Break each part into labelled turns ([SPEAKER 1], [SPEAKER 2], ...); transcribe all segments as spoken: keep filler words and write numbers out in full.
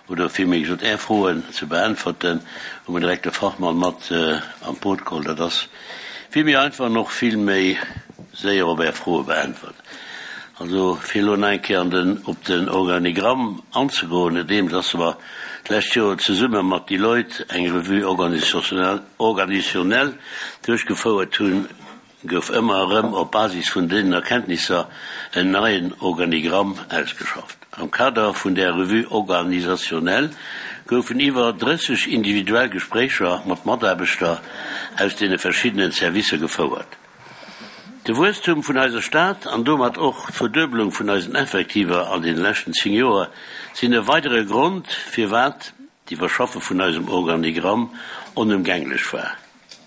[SPEAKER 1] oder villméi gesot Är Froen ze beäntwerten, hu mer direkt de Fachmann mat an d'Boot geholl. Dat ass vill méi einfach an och vill méi séier op Är Froe beäntwert. Also fir elo nach eng Kéier an den, op den Organigramm anzegoen, nodeems dass mer d'lescht Joer zesumme mat Deloitte eng Revue organisationnelle duerchgefouert hunn, gouf ëmmer erëm op Basis vun deenen Erkenntnisser en neien Organigramm ausgeschafft. Am Kader vun där Revue organisationnelle goufen iwwer drësseg individuell Gespréicher mat Mataarbechter aus deene verschiddenen Servicer gefouert. De Wuesstum vun eiser Stad an domat och d'Verduebelung vun eisen Effektiver an deene leschten zéng Joer sinn e weidere Grond, firwat d'Iwwerschaffe vun eisem Organigramm onëmgänglech war.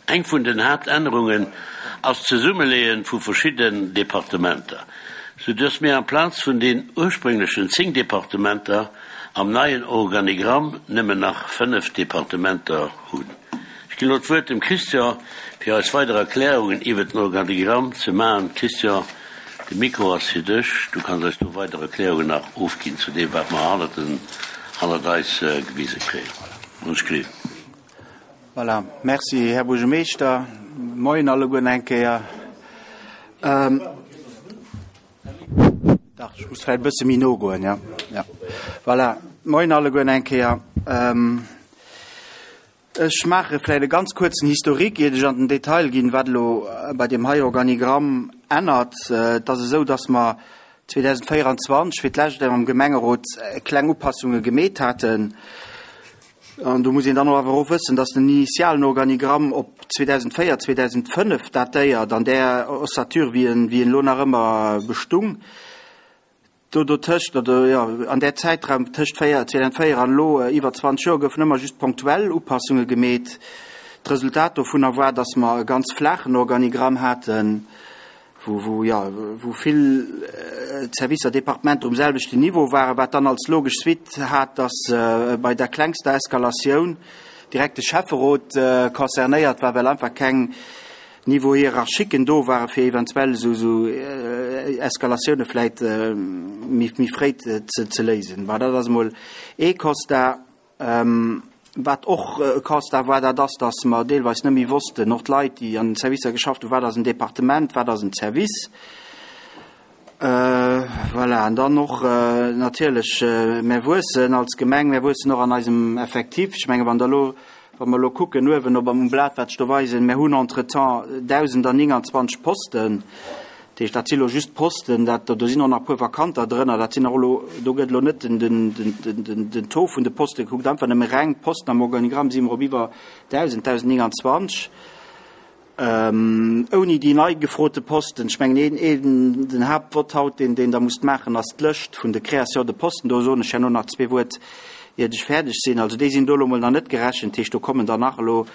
[SPEAKER 1] Eng vun den Haaptännerungen ass d'Zesummeleeë vu verschidden Departementer, sou dass mir amplaz vun den ursprénglechen zéng Departementer am neien Organigramm nëmmen nach fënnef Departementer hunn. Ech ginn elo d'Wuert dem Christian, fir eis weider Erklärungen iwwert den Organigramm ze maachen. Christian, de Mikro ass fir dech. Du kanns eis do weider Erklärungen nach ofginn zu deem, wat mer hannert den, hannert eis gewise kréien. Ons kréien.
[SPEAKER 2] Voilà. Merci, Här Buergermeeschter. Moien alleguerten eng Kéier. Ähm, dach, ech muss vläicht e bësse méi no goen, ja. Ja. Voilà. Moien alleguerten eng Kéier. Ähm, ech maache vläicht e ganz kuerzen Historique, iert ech an den Detail ginn, wat elo bei deem hei Organigramm ännert. Et ass esou, dass mer zweedausendvéieranzwanzeg fir d'lescht am Gemengerot kleng Upassunge gemeet haten. An do muss een dann och awer och wëssen, dass den initialen Organigramm op zweedausendvéier, zweedausendfënnef datéiert, an där Ossature, wéi en, wéi en elo nach ëmmer bestung. Do dotëscht, oder jo, an där Zäitraum tëscht véier, zweedausendvéier an elo, iwwer zwanzeg Joer, goufen ëmmer just ponktuell Upassunge gemeet. D'Resultat dovunner war, dass mer e ganz flaachen Organigramm haten, wou, wou, jo, wou vill Servicer, Departementer um selwechten Niveau waren, wat dann als logesch Suite hat, dass bei der klengster Eskalatioun direkt de Schäfferot concernéiert war, well einfach keng Niveaux hiérarchiquen do waren, fir eventuell esou, esou Eskalatioune vläit méi, méi fréi ze, ze léisen. Bon, dat ass emol ee Constat. Wat och e Constat war, dat ass, dass mer deelweis net méi wossten, och d'Leit, déi an den Servicer geschafft hunn, wat ass en Departement, wat ass en Service. Voilà, an dann och natierlech, mär wuessen als Gemeng, mär wuessen och an eisem Effektif. Ech menge wann Der elo, wa mer elo kucken uewen op am Blat, wat ech do weisen, mär hunn entretemps dausendanienganzwanzeg Posten. Dat heescht, dat si lo just Posten, dat, do sinn och nach e puer Vakanter drënner, dat sinn och elo, do gëtt elo net den, den, den, den, den Taux vun de Poste gekuckt, einfach nëmme reng Posten am Organigramm si mer op iwwer dausend, dausendnienganzwanzeg, ouni déi nei gefrote Posten. Ech mengen, een, een, den Haaptvott haut, deen, deen Der musst maachen, ass d'Lëscht vun de Création de posten. Do soen ech herno nach zwee Wuert, iert ech fäerdeg sinn. Also déi sinn do elo mol nach net gerechent, dat heescht, do kommen der nach elo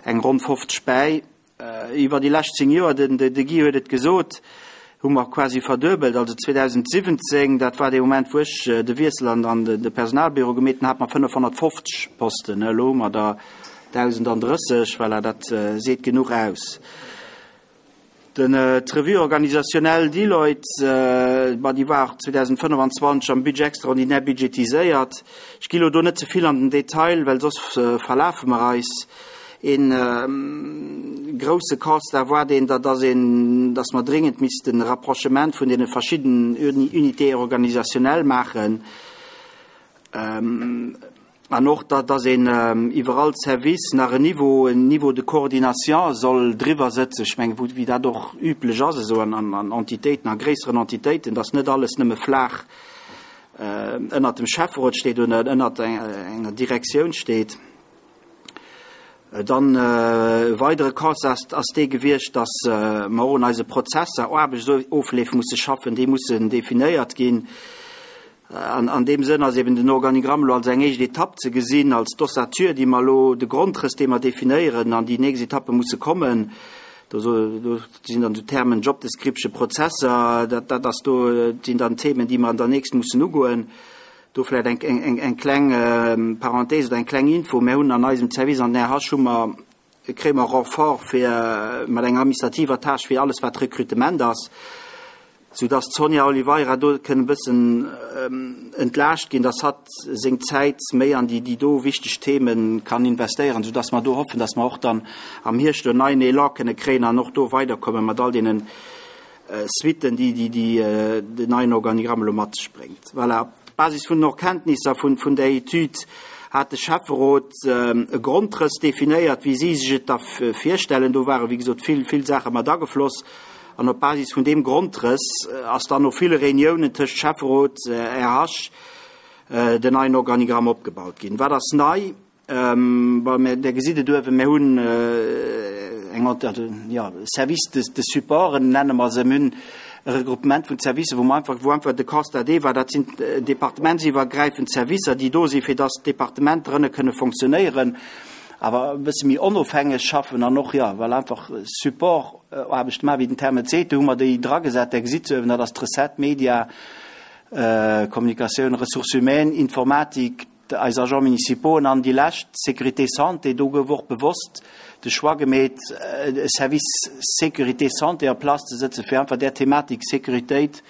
[SPEAKER 2] eng ronn fofzeg bäi. Iwwer déi lescht zéng Joer, den de Guy huet et gesot, hu mer quasi verduebelt. Also zweedausendsiwwenzéng, dat war dee Moment, wou ech de Wiessel an an de Personalbüro gemeet hunn, hate mer fënnefhonnertfofzeg Posten. Elo hu mer der dausendandrësseg. Voilà, dat seet genuch aus. Den d'Revue organisationnelle Deloitte, ma déi war zweedausendfënnefanzwanzeg am Budget extraordinaire budgetiséiert. Ech gi lo do net ze vill an den Detail, well soss verlafe mer eis. Een grousse Constat war deen, datt ass een, datt mer dringend missten e Rapprochement vun deene verschidden Unités organisationnelles maachen. An och, datt ass een iwwer all Service nach en Niveau, en Niveau de coordination soll driwwer sëtzen. Ech mengen, wou, wéi dat och üblech ass esou an, an, an Entitéiten, a gréisseren Entitéiten, datt net alles nëmme flaach ënnert dem Schäfferot steet oder ënnert enger Direktioun steet. Dann e weidere Constat ass dee gewiescht, datt mer och un eise Prozesser, Aarbechtsofleef musse schaffen, déi mussen definéiert ginn. An an deem Sënn ass eben den Organigramm elo als eng éischt Etapp ze gesinn, als d'Ossature, déi mer elo, de Grondrëss, dee mer definéieren, an déi nächst Etappe musse kommen. Do do sinn dann esou Termen Job description, Prozesser, dat dat ass do, sinn dann Themen, déi mer an der nächst mussen ugoen. Do vläicht eng eng eng kleng Parenthèse oder eng kleng Info, Mir hunn an eisem Service an den R H hu mer, kréie mer Renfort fir mat enger administrativer Tâche fir alles wat Recrutement ass. Soudass d'Sonia Oliveira do kënn e bëssen entlaascht ginn, dass hatt seng Zäit méi an déi do wichteg Theme kann investéieren, soudass mer do hoffen, dass mer och dann am Hierscht do en neien Elan kënne kréien an och do weiderkomme mat all deene Suitten, déi den neien Organigramm elo mat sech bréngt. Voilà, op Basis vun den Erkenntnisser vun där Etüd hat de Schäfferot e Grondrëss definéiert, wéi si sech et da virstellen. Do ware wéi gesot vill, vill Saache mat agefloss. An op Basis vun deem Grondrëss ass dann no ville Reuniounen tëscht Schäfferot, R H den neien Organigramm opgebaut ginn. Wat ass nei? Bon, Der gesitt et uewen, mir hunn eng, jo, Service de, de support, nenne mer se. Mir hunn e Regroupement vun Servicer, wou mer einfach, wou einfach de Constat dee war, dat sinn departementsiwwergräifend Servicer, déi do sinn, fir dass d'Departementer ënne kënne fonctionnéieren, awer e bësse méi onofhängeg schaffen an och, jo, well einfach Support-Aarbecht maachen, wéi den Terme et seet. Do hu mer déi dragesat. Der gesitt se uewen, dat ass d'Recette, Media, Kommunikatioun, Ressources humaines, Informatik, eis Agents municipaux an déi lescht, Sécurité santé. Do gouf och bewosst de Choix gemeet, e Service Sécurité santé en place ze setzen, fir einfach där Thematik Sécuritéit,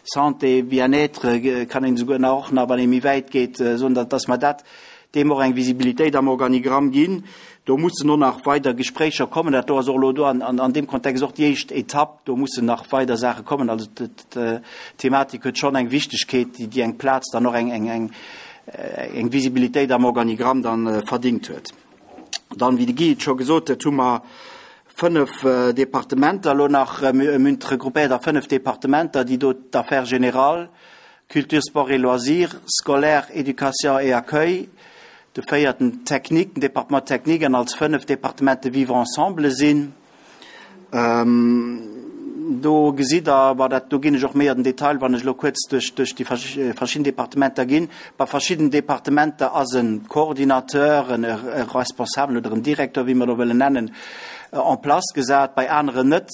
[SPEAKER 2] Santé, Bien-être, kann een esouguer nach och nach, wann ee méi wäit geet, soen, dass mer dat deem och eng Visibilitéit am Organigramm ginn. Do mussen och nach weider Gespréicher kommen. Dat do ass och elo do an deem Kontext och déi éischt Etapp. Do mussen nach weider Saache kommen. Also d'Thematik huet schonn eng Wichtegkeet, déi eng Plaz dann och eng eng Visibilitéit am Organigramm dann verdingt huet. Dann, wéi de Guy et scho gesot huet, hu mer fënnef Departementer elo nach, mir hunn regroupéiert a fënnef Departementer, déi do d'Affaires générales, Culture, Sport et Loisirs, Scolaire, Éducation et Accueil, de véierten Technique, den Département technique an als fënneft Departement de Vivre ensemble sinn. Do gesitt Der, bon, dat do ginn ech och méi an den Detail, wann ech elo kuerz duerch duerch déi verschidden Departementer ginn. Bei verschidden Departementer ass e Coordinateur, en e Responsabel oder en Directeur, wéi mer do wëllen nennen, en place gesat, bei aneren net.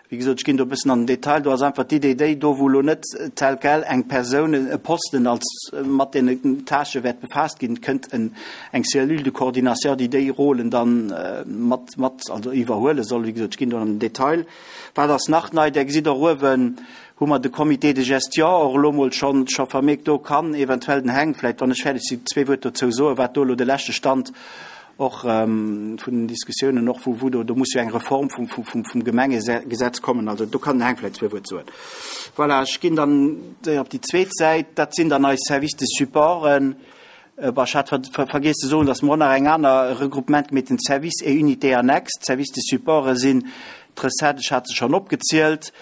[SPEAKER 2] Wéi gesot, ech ginn do e bëssen an den Detail. Do ass einfach d'Idee déi, do wou elo net tel quel eng Persoun, e Posten als mat deene Tâchë wäert befaasst ginn, kënnt en, eng Cellule de coordination, déi déi Rôlen dann mat, mat, also iwwerhuele soll. Wéi gesot, ech ginn do an den Detail. Wat ass nach nei? Där gesitt och uewen, hu mer de Comité de gestion och elo mol schonn, scho vermierkt. Do kann eventuell den Heng vläicht, wann ech fäerdeg sinn, zwee Wuert dozou soen, wat do elo de leschte Stand och vun den Diskussiounen och, wou, wou do, do muss jo eng Reform vum, vum, vum, vum Gemengegesetz kommen. Also do kann den Heng vläicht zwee Wuert soen. Voilà, ech ginn dann op déi zweet Säit. Dat sinn dann eis Services de supporten. Bon, ech hat ver, vergiess ze soen, dass mer och nach eng aner Regroupement mat den Services et Unités annexes. D'Services de supporte sinn d'Recette, ech hat se schonn opgezielt.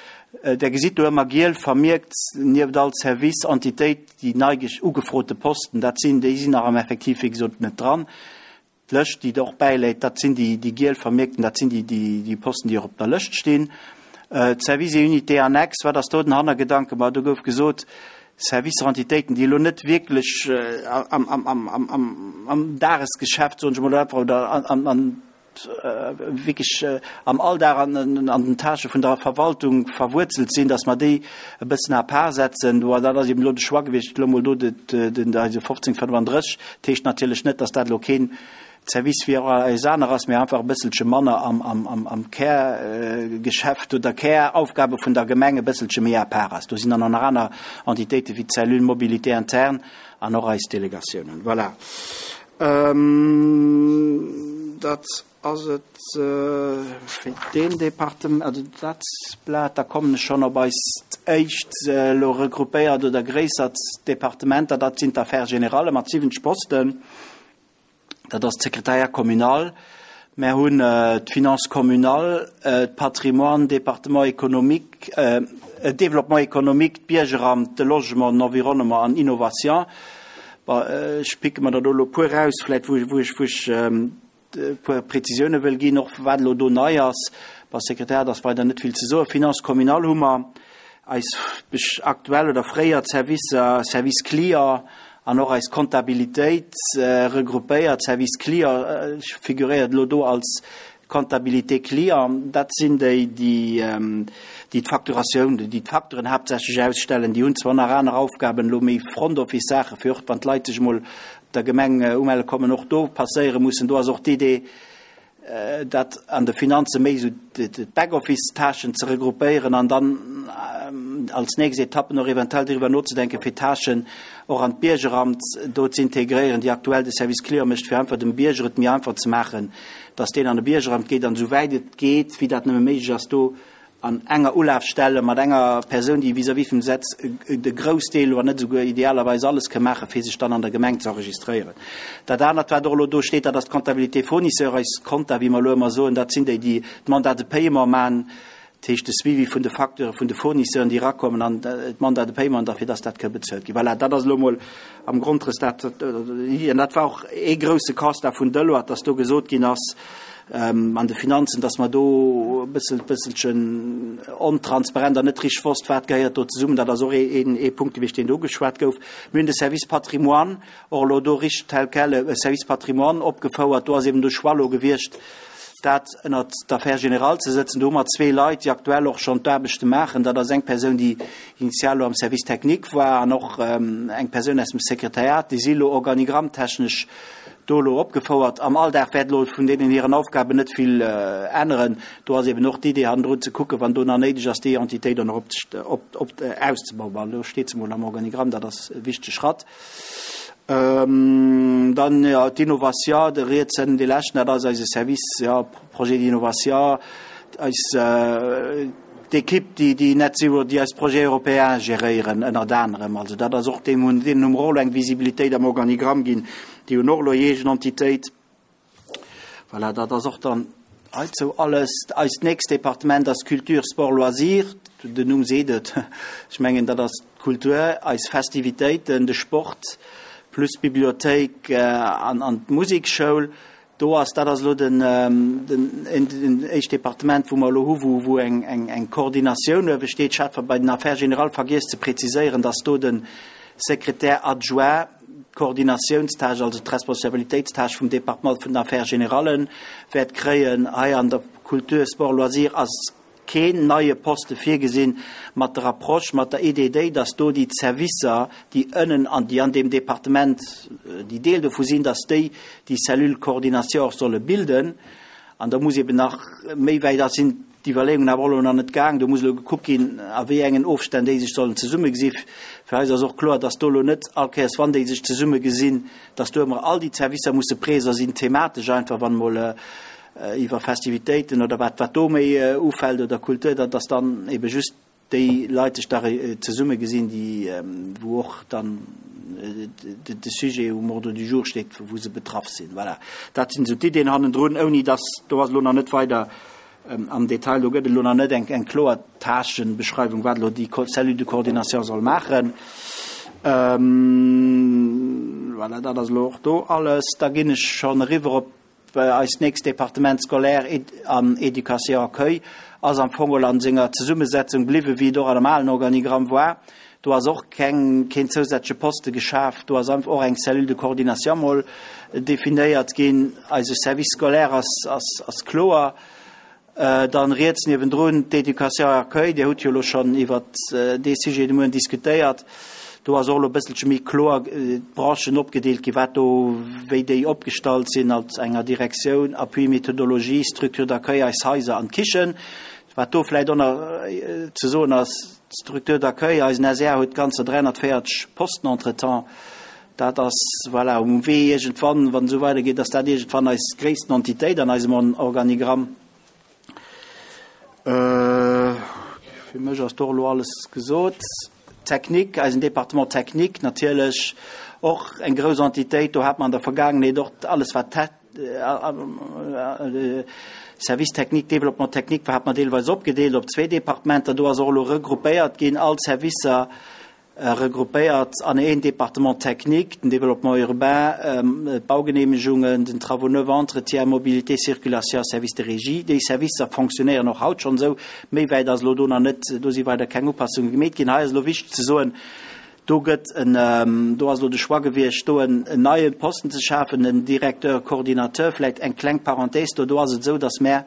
[SPEAKER 2] Der gesitt do ëmmer giel vermierkt nieft all Service, Entitéit, déi nei ugefrote Posten. Dat sinn, déi sinn nach am Effektiv, wéi gesot, net dran. D'Lëscht, déi do och bäiläit, dat sinn déi, déi giel vermierkten, dat sinn déi, déi, déi Posten, déi och op der Lëscht stinn. D'Services et Unités annexes, wat ass do den Hannergedanke? Ma do gouf gesot, Servicer, Entitéiten, déi elo net wierklech am, am, am, am, am, am Dagesgeschäft, soen ech emol, oder an, an, wierklech am Alldag an, an den Tâchë vun der Verwaltung verwuerzelt sinn, dass mer déi e bëssen à part setzen. Do, dat ass eben elo de Choix gewiescht, elo mol do de, den, eise fofzéng fënnefandrësseg. Dat heescht natierlech net, dass dat elo keen Service wéi eis aner ass, mee einfach e bësselche manner am, am, am, am Kärgeschäft oder Käraufgabe vun der Gemeng e bësselche méi à part ass. Do sinn dann nach aner Entitéite wéi d'Cellule Mobilité interne an och eis Delegatiounen. Voilà. Ähm, dat ass et äh, fir deen Departement, also dat Blat. Da kommen ech schonn op eist éischt äh, elo regroupéiert oder gréissert Departementer, dat sinn d'Affaires générales mat siwwenzeg Posten. Dat ass d'Sekretariat communal. Mir hunn äh, d'Finance communale, äh, d'Patrimoine, Département économique, äh, Développement économique, d'Biergeramt, de Logement, den Environnement an Innovation. Bon, äh, ech picke mer dat elo puer raus, vläicht wou, wou ech, wou ech ähm, puer Präzisioune wëll ginn, och wat elo do nei ass. Beim Sekretariat ass weider net vill ze soen. Finance communale hu mer eis aktuell oder fréier Servicer, Service Client an och eis Comptabilitéit äh, regroupéiert. Service Client äh, figuréiert elo do als Comptabilité Client. Dat sinn déi, déi, ähm, déi d'Facturatioun, déi d'Facturen haaptsächlech ausstellen. Déi hunn zwar nach aner Aufgaben, elo méi Front Office Saache fir och wann d'Leit sech mol der Gemeng äh, umelle kommen, och do passéiere mussen. Do ass och d'Idee, äh, dat an de Finanze méi sou d'Backoffice-Tâchen ze regroupéieren an dann ähm, als nächst Etappen och eventuell driwwer nozedenken, fir Tâchen och an d'Biergeramt do ze integréieren, déi aktuell de Service Client mécht, fir einfach dem Bierger et méi einfach ze maachen, dass deen an de Biergeramt geet an esouwäit et geet, wéi dat nëmme méiglech ass, do an enger Ulafstelle mat enger Persoun, déi vis-à-vis vum Setz de Groussdeel, wann net esouguer idealerweis alles ka maachen, fir sech dann an der Gemeng ze enregistréieren. Dat anert, wat och elo do steet, dat ass d'Comptabilité fournisseur, eis Compta, wéi mer elo ëmmer soen, dat sinn déi, déi d'Mandat de paiement maachen, dat heescht de Suivi vun de Facteure vun de Fournisseuren, déi erakommen, an d'Mandat de paiement derfir, dass dat ka bezuelt ginn. Voilà, dat ass elo emol am Grondrëss dat, an dat war och ee grousse Constat vun Deloitte, dass do gesot ginn ass, an de Finanzen, dass mer do e bëssel, bësselchen ontransparent an net richteg wosst, wat gehéiert do zesummen. Dat ass och ee, ee Punkt gewiescht, deen do ugeschwat gouf. Mir hunn de Service Patrimoine och elo do richteg tel quel e Service Patrimoine opgefouert. Do ass eben de Choix elo gewiescht, dat ënnert d'Affaires générales ze sëtzen. Do hu mer zwee Leit, déi aktuell och schonn d'Aarbechte maachen. Dat ass eng Persoun, déi initial elo am Service technique war an och eng Persoun aus dem Sekretariat. Déi si elo organigrammtechnesch do elo opgefouert. Am Alldag wäert elo vun deenen hiren Aufgaben net vill änneren. Do ass eben och d'Idee hannendrun ze kucken, wann do nach néideg ass, déi Entitéit dann och op, op, auszebauen. Bon, elo steet se mol am Organigramm, dat ass e wichtege Schratt. Dann, jo, d'Innovation, de riets ënnen dee leschten, dat ass eise Service, jo, Projet d'innovation, eis d'Ekipp, déi déi Net Zero, déi eis Projets européens geréieren ënnert anerem. Also dat ass och deem hunn, deenen hu mer och elo eng Visibilitéit am Organigramm ginn, déi hunn och elo hir eegen Entitéit. Voilà, dat ass och dann heizou alles. Eist nächst Departement ass Culture, Sport, Loisirs. Den Numm seet et. Ech mengen, dat ass d'Kultur, eis Festivitéiten, de Sport plus d'Bibliothéik an an d'Musekschoul. Do ass, dat ass elo den den den éischt Departement, wou mer elo hu wou wou eng eng eng Koordinatioun uewe steet. Ech hat bei den Affaires générales vergiess ze präziséieren, dass do de Secrétaire adjoint d'Koordinatiounstâche, also d'Responsabilitéitstâche vum Departement vun den Affaires générales wäert kréien. Hei an der Kultur, Sport, Loisirs ass keen neie Poste virgesinn, mat der Approche, mat der Idee déi, dass do déi Servicer, déi ënnen an déi an deem Departement, déi Deel dovu sinn, dass déi déi Cellule coordination och solle bilden. An da muss eben nach méi wäit, da sinn d'Iwwerleeungen awer och elo nach net gaang, do muss elo gekuckt ginn, a wéi engen Ofstänn déi sech sollen zesummegesi. Fir eis ass och kloer, dass do elo net all Kéiers, wann déi sech zesummegesinn, dass do ëmmer all déi Servicer musse préser sinn, thematesch einfach, wann emol iwwer Festivitéiten oder wat wat do méi ufält oder Kultur, dass dann ebe just déi Leit sech da zesummegesinn, déi wou och dann de Sujet um Ordre du jour steet, wou se betraff sinn. Voilà, dat sinn esou d'Iddien hannendrun, ouni dass, do ass elo nach net weider am Detail, do gëtt et elo nach net eng eng kloer Tâchenbeschreiwung, wat elo déi Cellule de coordination soll maachen. Voilà, dat ass elo och do alles. Da ginn ech schonn eriwwer op eist nächst Departement, Scolaire an Éducation Accueil, ass am Fong geholl an senger Zesummesetzung bliwwen, wéi et och an dem alen Organigramm war. Do ass och keng, keen zousätzleche Poste geschaf. Do ass einfach och eng Cellule de coordination mol definéiert ginn. Eise Service scolaire ass, ass, ass kloer. Dann riets niewendrun d'Éducation et Accueil. Dir hutt jo elo schonn iwwert dee Sujet de Moien diskutéiert. Do ass och elo e bësselche méi kloer d'Branchen opgedeelt ginn, wat do, wéi déi opgestallt sinn als enger Direktioun, Appui méthodologie, Structure d'accueil, eis Haiser an d'Kichen. Wat do vläicht och nach ze soen ass, d'Structure d'accueil, eisen S R huet ganzer dräihunnertvéierzeg Posten entretemps. Dat ass, voilà, um Wee iergendwann, wann et esou weidergeet, ass dat iergendwann eis gréissten Entitéit an eisem Organigramm. Fir mech ass do elo alles gesot. Technique, eisen Département technique natierlech och eng grouss Entitéit. Do hat mer an der Vergaangenheet och alles wat Service technique, Développement technique war, hat mer deelweis opgedeelt op zwee Departementer. Do ass och elo regroupéiert ginn, all Servicer regroupéiert an een Département technique, den Développement urbain, d'Baugenehmegungen, den Travaux neufs, Entretien, Mobilité, Circulation, Service de régie. Déi Servicer fonctionnéieren och haut schonn esou. Méi wäit ass elo do nach net, do si weider keng Upassunge gemeet ginn. Hei ass elo wichteg ze soen, do gëtt en, do ass elo de Choix gewiescht, do en neie Posten ze schafen, en Directeur coordinateur. Vläicht eng kleng Parenthèse do, do ass et esou, datt mär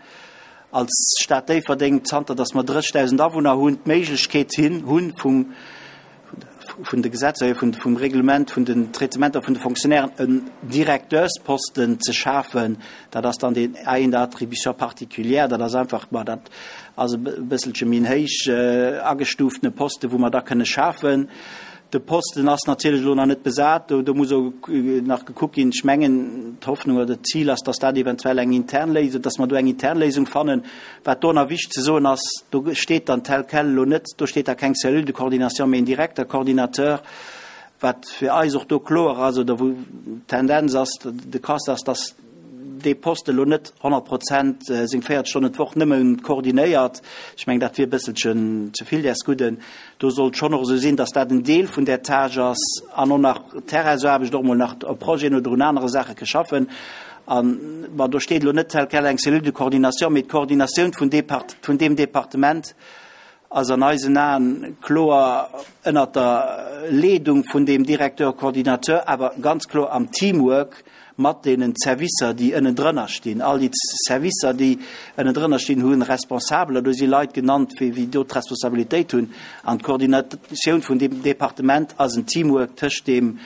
[SPEAKER 2] als Stad Déifferdeng, zanter datt mer drëssegdausend Awunner hunn, d'Méiglechkeet hunn, vum vun de Gesetzer hier, vun, vum Reglement, vun den Traitementer vun de Fonctionnairen, en Directeursposten ze schafen. Dat ass dann deen ayant attribution particulière, dat ass einfach, ma dat ass e bësselche méi en héich agestuuftene Posten, wou mer da kënne schafen. De Posten ass natierlech elo nach net besat, do, do muss och nach gekuckt ginn. Ech mengen, d'Hoffnung oder d'Zil ass, dass dat eventuell eng intern Léisung, dass mer do eng intern Léisung fannen. Wat do nach wichteg ze soen ass, do steet dann tel quel elo net, do steet da keng Cellule de coordination, mee en Directeur coordinateur, wat fir eis och do kloer ass oder wou d'Tendenz ass, de Constat ass, dass dee Poste elo net honnert Prozent seng véierzeg Stonnen d'Woch nëmme koordinéiert. Ech mengen, dat wier e bësselchen ze vill däers Gudden. Do sollt schonn och esou sinn, dass dat en Deel vun där Tâche ass an och nach Terrainsaarbecht, och emol nach op Projeten oder un anere Saache ke schaffen. An, bon, do steet elo net tel quel eng Cellule de coordination, mee d'Koordinatioun vun Depart, vun deem Departement ass an eisen Aen kloer ënnert der Leedung vun deem Directeur coordinateur, awer ganz kloer am Teamwork mat deenen Servicer, déi ënnendrënner stinn. All déi Servicer, déi ënnendrënner stinn, hu Responsabeler. Do si Leit genannt, wéi do d'Responsabilitéit hunn. An d'Koordinatioun vun deem Departement ass en Teamwork tëscht deem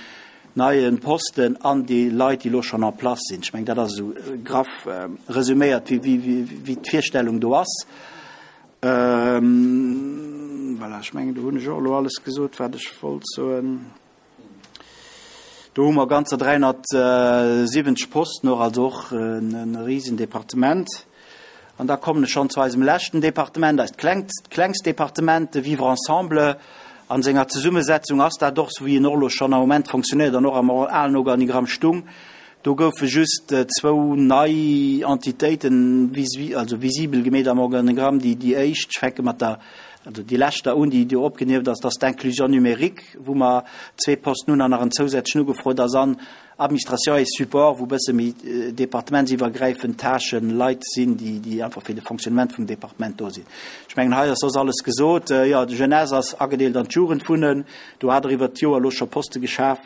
[SPEAKER 2] neie Posten an déi Leit, déi elo schonn en place sinn. Ech mengen, dat ass esou graff resuméiert, wéi d'Virstellung do ass. Voilà, ech mengen, do hunn ech och elo alles gesot, wat ech wollt soen. Do hu mer ganzer dräihonnertsiwwenzeg Posten och, also och e risen Departement. An da kommen ech schonn zu eisem leschten Departement, eist klengt, klengst Departement, de Vivre ensemble. An senger Zesummesetzung ass dat och esou, wéi en och elo schonn am Moment fonctionnéiert an och am alen Organigramm stung. Do goufe just zwou nei Entitéiten also visibel gemeet am Organigramm. Déi, déi éischt, ech fänke mat der, also déi lescht da un, déi do opgenieft ass, dat ass d'Inclusion numérique, wou mer zwee Posten hunn an nach en zousätzlechen ugefrot ass, an Administration et Support, wou e bësse méi departementsiwwergräifend Tâchen, Leit sinn, déi, déi einfach fir de Fonctionnement vum Departement do sinn. Ech mengen, hei ass soss alles gesot. Jo, d'Jeunesse ass agedeelt an d'Jugendwunnen. Do hat Der iwwert d'Joer elo scho Poste geschaf.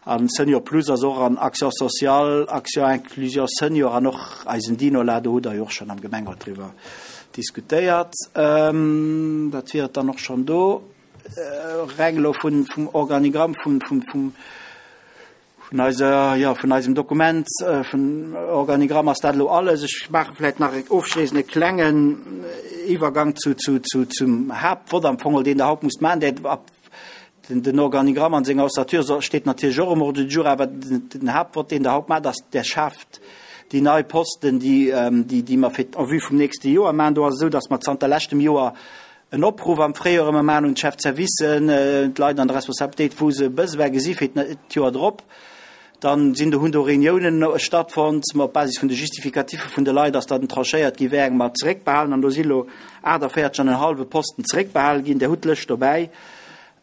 [SPEAKER 2] An Senior Plus ass och an Action sociale, Action Inclusion Senior an och eisen Dinola, do hutt Der jo och schonn am Gemengerot driwwer diskutéiert. Dat wier et dann och schonn do. Reng elo vun, vum Organigramm, vun, vun, vum, vun eiser, jo, vun eisem Dokument, vum Organigramm ass dat elo alles. Ech maache vläicht nach ofschléissend e klengen Iwwergang zu, zu, zu, zum Haaptvott am Fong, deen Der haut musst maachen, där ab Den Organigramm an senger Ossature steet natierlech och um Ordre du jour, awer den Haaptvott, deen Der haut maacht, ass, Der schaaft déi nei Posten, déi mer fir en vue vum nächste Joer maachen. Do ass et esou, dass mer zanter leschtem Joer en Opruff am Fréijoer ëmmer maachen un d'Chefservicen, d'Leit an der Responsabilitéit, wou se Besoin gesi fir d'Joer drop. Dann sinn do, hunn do Reuniounen stattfonnt. Op Basis vun de Justificatiffe vun de Leit ass dann tranchéiert gi wéi eng mer zeréckbehalen. An do si lo aachtavéierzeg an en hallwe Posten zeréckbehale ginn. Der hutt d'Lëscht dobäi.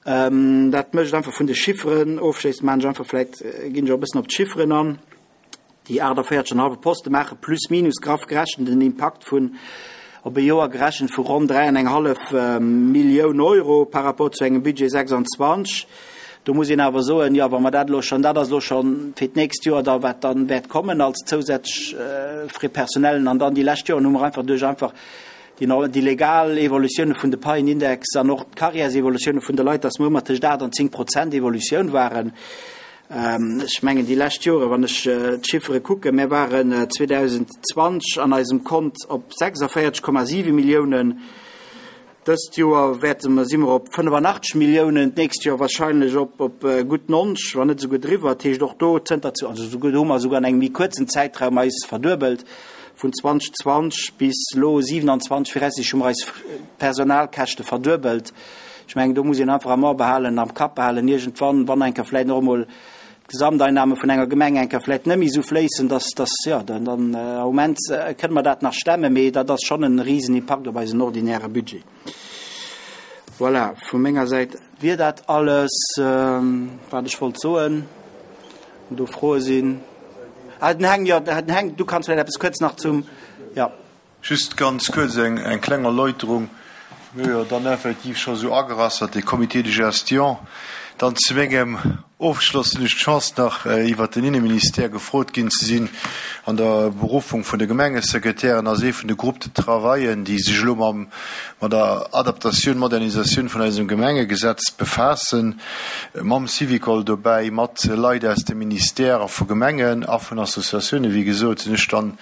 [SPEAKER 2] Dat mécht einfach vun de Chifferen ofschléissend, maachen ech einfach vläicht, ginn ech och e bëssen op d'Chifferen an. Déi aachtavéierzeg an hallwe Poste maache plus minus graff gerechent en Impakt vun, op e Joer gerechent, vu ronn dräi an eng hallef Millioun Euro par rapport zu engem Budget sechsundzwanzeg. Do muss een awer soen, jo, wa mer dat elo schonn, dat ass elo schonn fir d'nächst Joer da wat dann wäert kommen als zousätzlech Frais personnellen, an dann déi lescht Joren hu mer einfach duerch einfach déi legal Evolutioune vun de Paienindex an och d'Carrièresevolutioune vun de Leit, dass mer ëmmer tëscht aacht an zéng Prozent Evolutioun waren. Ech mengen, déi lescht Jore, wann ech d'Chiffere kucken, mir waren zweedausendzwanzeg an eisem Kont op sechsavéierzeg Komma siwe Milliounen, dëst Joer wäerte mer, si mer op fënnefanachteg Milliounen, d'nächst Joer wahrscheinlech op op gutt nonzeg, wann net esouguer driwwer. Dat heescht, och do zënter, also esouguer do hu mer esouguer an engem méi kuerzen Zäitraum eis verduebelt. Vun zweedausendzwanzeg bis elo siewenundzwanzeg viraussichtlech hu mer eis Personalkäschte verduebelt. Ech mengen, do muss een einfach am A behalen, am Kapp behalen, iergendwann, wann eng Kéier vläicht och emol d'Gesamteinnahme vun enger Gemeng eng Kéier vläicht net méi esou fléissen, dass, dass, jo, dann, dann am Moment kënne mer dat nach stemmen, mee dat ass schonn e Risenimpakt op eisen ordinäre Budget. Voilà, vu menger Säit wier dat alles, wat ech wollt soen. Wann do Froe sinn. Ah, den Heng, jo, den Heng, du kanns vläicht eppes kuerz nach zum, jo.
[SPEAKER 3] Just ganz kuerz eng, eng kleng Erläuterung. Mir hu jo dann effektiv scho sou agerass, datt dee Comité de gestion dann zu mengem Ofgeschloss hunn ech d'Chance nach iwwert den Inneministère gefrot ginn ze sinn an der Beruffung vun de Gemengesekretären ass ee vun de Groupes de travaillen, déi sech elo mam mat der Adaptatioun, Modernisatioun vun eisem Gemengegesetz befaassen, mam Syvicol dobäi, mat Leit aus dem Ministère a vu Gemengen a vun Associatiounen. Wéi gesot sinn ech dann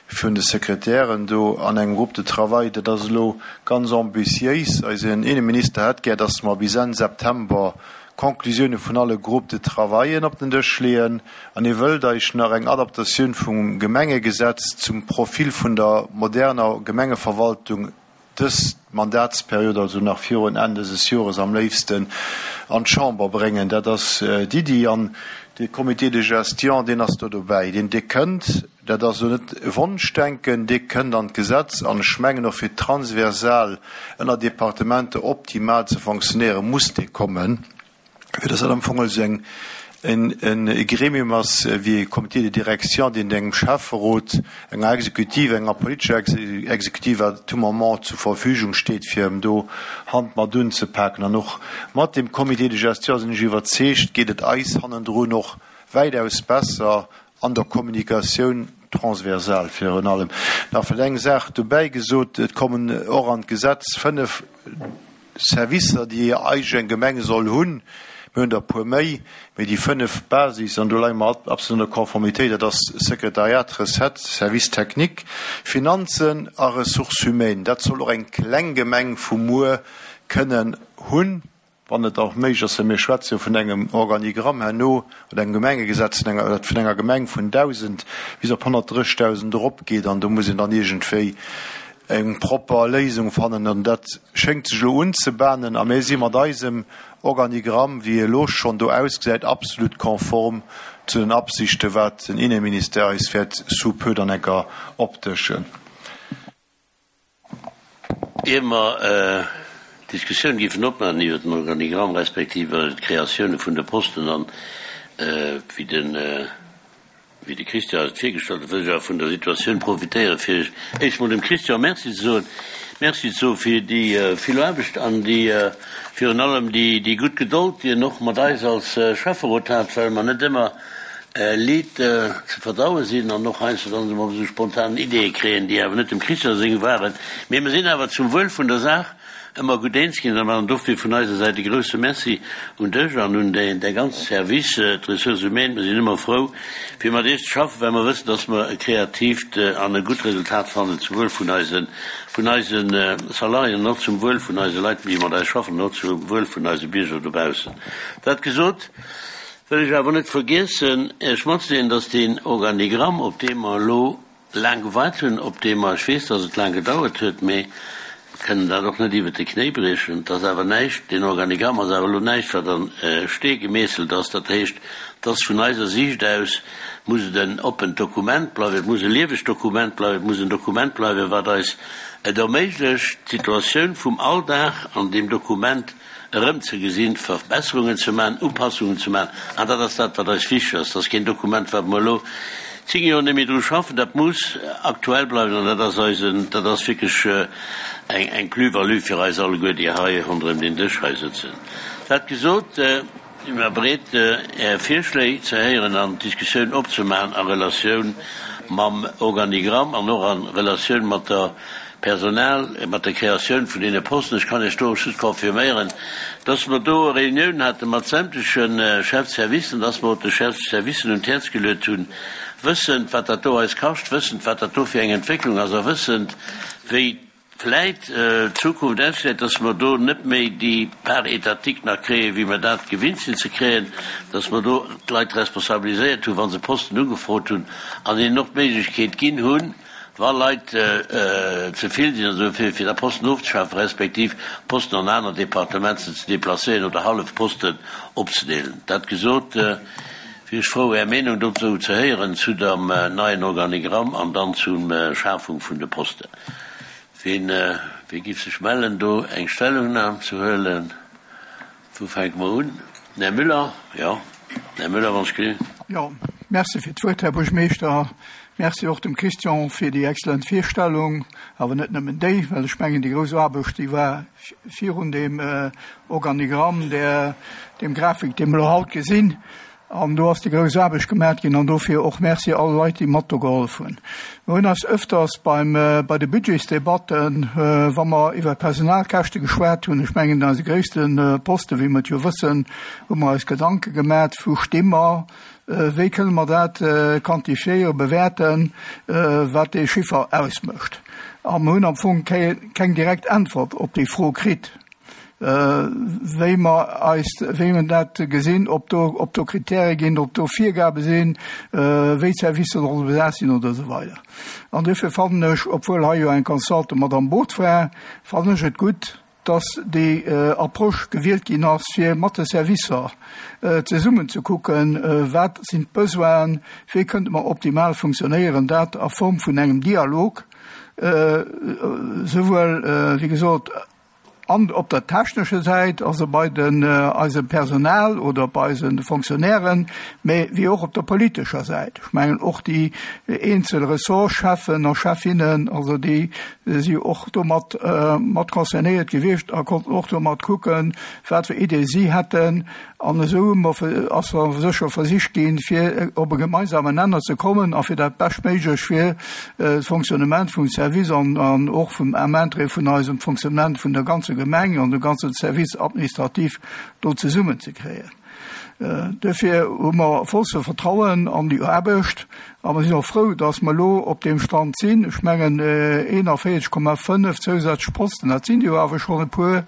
[SPEAKER 3] vun de Sekretären do an engem Groupe de travail. Dat ass elo ganz ambitiéis. Eisen Inneminister hätt gär, dass mer bis Enn September Conclusioune vun alle Groupes de travaillen op den Dësch leeën an hie wëllt eis nach eng Adaptatioun vum Gemengegesetz zum Profil vun der moderner Gemengeverwaltung dës Mandatsperiod, also nach virun Enn dëses Jores am léifsten, an d'Chamber bréngen. Dat ass d'Iddi an de Comité de gestion, deen ass do dobäi, deen, dee kënnt, dat ass elo net Wonschdenken, dee kënnt an d'Gesetz an ech mengen och fir transversal ënner Departementer optimal ze fonctionnéieren, muss dee kommen. Fir dass dat am Fong also eng, en, e Gremium ass wéi e Comité de direction, deen engem Schäfferot, enger Exekutive, enger politescher Exekutive à tout moment zur Verfügung steet, fir em do Hand mat unzepaken. An och mat deem Comité de gestion, sinn ech iwwerzeegt, geet et eis hannendrun och wäitaus besser an der Kommunikatioun transversal virun allem. Nach vläicht eng Saach dobäi gesot, Et kommen och an d'Gesetz fënnef Servicer, déi eis eng Gemeng soll hunn. Mir hunn der e puer méi, mee déi fënnef Basis, an do leie mer absolut an der Konformitéit, dat ass Sekretariat, Recettes, Service technique, Finanzen a Ressources humaines. Dat soll och eng kleng Gemeng vu muer kënnen hunn, wann et och méiglech ass, well mir schwätze jo vun engem Organigramm herno oder engem Gemengegesetz vun enger, dat vun enger Gemeng vun dausend bis op honnertdrëssigtausend eropgeet, an do muss een dann iergendwéi eng propper Léisung fannen an dat schéngt sech elo unzebahnen a mir si mat eisem Organigramm, wéi e elo schonn do ausgesäit, absolut konform zu den Absichten, wat den Inneministère eis wäert sous peu dann enker opdëschen.
[SPEAKER 1] Ier mer d'Diskussioun géifen opmaachen iwwert den Organigramm respektiv d'Kreatioune vun de Posten an wéi den Wéi de Christian eis et virgestallt huet, wëll ech awer vun der Situatioun profitéieren, fir éischt mol dem Christian Merci ze soen. Merci ze soe fir déi vill Aarbecht an déi, virun allem déi, déi gutt Gedold, déi en och mat eis als Schäfferot hat, well mer net ëmmer liit ze verdaue sinn an och heiansdo dann emol esou spontan Ideeë kréien, déi awer net dem Christian seng waren. Mee mer sinn awer zum Wuel vun der Saach ëmmer gutt eens ginn an dofir vun eiser Säit e grouse Merci un dech an un däi ganze Service, d'Ressources humaines. Mer sinn ëmmer frou, fir mat iech ze schaffen, well mer wëssen, dass mer e kreatiivt an e gutt Resultat fannen zum Wuel vun eise, vun eise Salariéen an och zum Wuel vun eise Leit, déi mat eis schaffen, an och zum Wuel vun eise Bierger dobaussen. Dat gesot, wëll ech awer net vergiessen, Iech matzedeelen, dass deen Organigramm, op dee mer elo laang gewaart hunn, op dee mer, ech weess, dass et laang gedauert huet, mee mer kënnen dat och net iwwert de Knéi briechen, et ass awer näischt, deen Organigramm ass awer elo näischt, wat an Stee gemeesselt ass. Dat heescht, et ass vun eiser Siicht aus, muss et en oppent Dokument bleiwen, et muss e liewegt Dokument bleiwen, et muss en Dokument bleiwen, wat eis et erméiglecht, d'Situatioun vum Alldag an deem Dokument erëmzegesinn, Verbesserungen ze maachen, Upassungen ze maachen. An dat ass dat, wat eis wichteg ass. Dat ass keen Dokument, wat mer elo zéng Joer net méi dru schaffen. Dat muss aktuell bleiwen an dat ass eisen, dat ass wierklech eng, eng Plus-value fir eis alleguer, déi hei ronderëm deen Dësch hei sëtzen. Dat gesot, si mer bereet, Är Virschléi ze héieren an d'Diskussioun opzemaachen a Relatioun mam Organigramm an och a Relatioun mat der Personal, mat der Kreatioun vun deene Posten. Ech kann Iech do just confirméieren, dass mer do e Reunioun hate mat sämtleche Chefservicen, dass mer och de Chefservicen un d'Häerz geluet hunn, wëssend, wat dat do eis kascht, wëssend, wat dat do fir eng Entwécklung ass a wëssend, wéi vläit d'Zukunft ausgesäit, dass mer do net méi déi Part étatique nach kréien, wéi mer dat gewinnt sinn ze kréien, dass mer do d'Leit responsabiliséiert hunn, wa se Posten ugefrot hunn, an hinnen och d'Méiglechkeet ginn hunn, wa Leit ze vill sinn oder esou, fir da Posten ofzeschafen, respektiv Posten an aner Departementer ze déplacéieren oder hallef Posten opzedeelen. Dat gesot, wier ech frou, Är Meenung dozou ze héieren, zu dem neien Organigramm an dann zum Schafung vun de Posten. Ween, wee giff sech mellen, do eng Stellungnam ze huelen? Wou fänke mer un? Den Här Müller? Jo, den Här Müller, wann ech gelift.
[SPEAKER 4] Jo, Merci fir d'Wuert, Här Buergermeeschter. Merci och dem Christian fir déi exzellent Virstellung, awer net nëmmen déi, well ech mengen, déi grouss Aarbecht, déi war virun deem Organigramm, där, deem Grafik, dee mer elo haut gesinn. An do ass déi grouss Aarbecht gemaat ginn an dofir och Merci all Leit, déi mat do gehollef hunn. Mer hunn eis öfters beim, bei de Budgetsdebatten, wa mer iwwer d'Personalkäschte geschwat hunn, ech mengen, eise gréisste Poste, wéi mer et jo wëssen, hu mer eis Gedanke gemaat, wou sti mer, wéi kënne mer dat quantifiéieren, bewäerten, wat dee Chiffer ausmécht. A mer hunn am Fong keng direkt Äntwert op déi Fro kritt. Wéi mer eis, wéi mer dat gesinn, ob do, ob do Kritäre ginn, ob do Virgabe sinn, wéi d'Servicer solle besat sinn oder esou weider. An duerfir fannen ech, obwuel hei jo eng Consultant mat am Boot war, fannen ech et gutt, dass déi Approche gewielt ginn ass, fir mat de Servicer zesummen ze kucken, wat sinn d'Besoinen, wéi kënnte mer optimal funktionéieren, dat a Form vun engem Dialog, souwuel, wéi gesot, an op der technescher Säit, also bei den eisem Personal oder bei eisen Fonctionnairen, mä wéi och op der politescher Säit. Ech mengen och déi eenzel Ressortscheffen a Chefinnen, also déi si och domat mat concernéiert gewiescht a konnten och domat kucken, wat fir Ideeë si hätten. An esou hu mer, ass sécher versicht ginn, fir op e gemeinsamen Nenner ze kommen a fir dat Beschtméiglech fir d'Fonctionnement vum Service an, an och vum, am Interêt vun eisem Fonctionnement vun der ganzer Gemeng an dem ganze Service administratif do zesummenzekréien. Duerfir hu mer vollste Vertrauen an déi Aarbecht a mer sinn och frou, dass mer elo op deem Stand sinn. Ech mengen, eenanvéierzeg Komma fënnef zousätzlech Posten, dat sinn jo awer schonn e puer.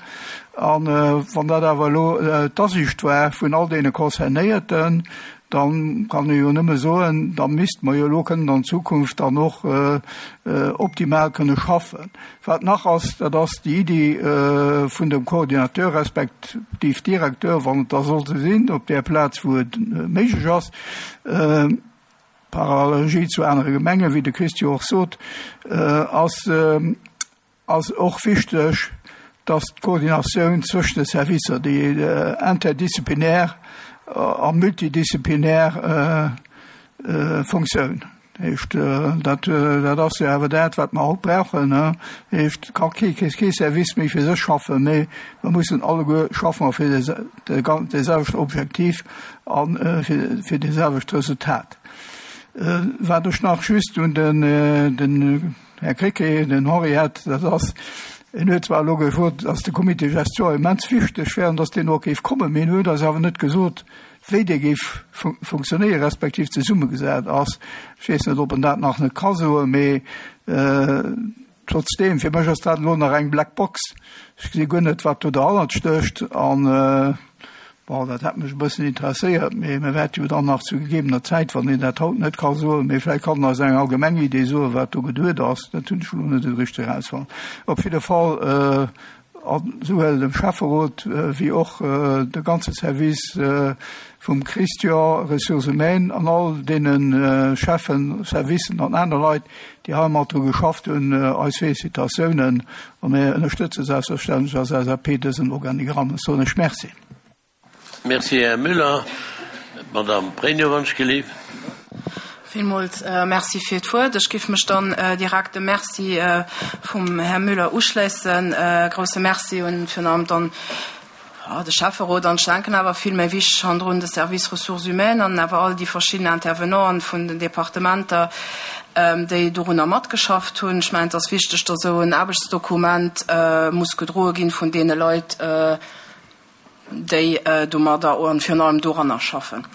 [SPEAKER 4] A wann dat awer elo d'Asiicht war vun all deene Concernéierten, da kann ee jo nëmme soen, da misste mer jo elo kënnen an Zukunft dann och optimal kënne schaffen. Wat nach ass, dat ass déi Iddi vun dem Coordinateur respektiv Directeur, wann et da soll esou sinn, op där Plaz, wou et méiglech ass, par analogie zu anere Gemengen, wéi de Christian och sot, ass, ass och wichteg, dass d'Koordinatioun zwëschen de Servicer, déi interdisziplinär a multidisziplinär Funktioun, heescht, dat, dat ass jo awer dat, wat mer haut brauchen, heescht, ka kee, kee Service méi fir sech schaffen, mee mer mussen alleguer schaffen fir de selwechten Objektiv a fir, fir de selwecht Resultat. Wat ech nach just un den, den Här Krecké, den Henri hätt, dat ass, en huet zwar elo gesot, dass de Comité de gestion immens wichteg wär an dass deen och géif kommen, mee en huet eis awer net gesot, wéi dee géif funktionéieren, respektiv zesummegesat ass. Ech weess net, ob en dat nach net ka soen, mee trotzdeem, fir mech ass dat elo nach eng Black Box. Ech gesi guer net, wat do derhannert stécht an, Bon, dat hätt mech e bëssen interesséiert, mee mir wäerte jo dann nach zu gegebener Zäit, wann een dat haut net ka soen, mee vläicht kann en eis eng allgemeng Idee soen, wat do geduet ass. Dat hunn ech elo net esou richteg erausfonnt. Op jidde Fall, esouwuel dem Schäfferot wéi och de ganze Service vum Christian, Ressources humaines, an all deene Cheffen, Servicen an aner Leit, déi hei mat dru geschafft hunn, eis Félicitatiounen a mir ënnerstëtze selbstverständlech als L S A P dësen Organigramm. Ech soen lech Merci.
[SPEAKER 1] Merci, Här Müller. D'Madame Pregno, wann ech gelift.
[SPEAKER 5] Villmools Merci fir d'Wuert. Ech géif mech dann direkt dem Merci vum Här Müller uschléissen. Grousse Merci un virun allem dann de Schäfferot an ech denken awer vill méi wichteg hannendrun de Service Ressources humaines an awer all déi verschidden Intervenanten vun den Departementer, déi dorunner matgeschafft hunn. Ech mengen, et ass wichteg, datt esou en Aarbechtsdokument muss gedroe ginn vun deene Leit, déi domadder an virun allem doranner schaffen.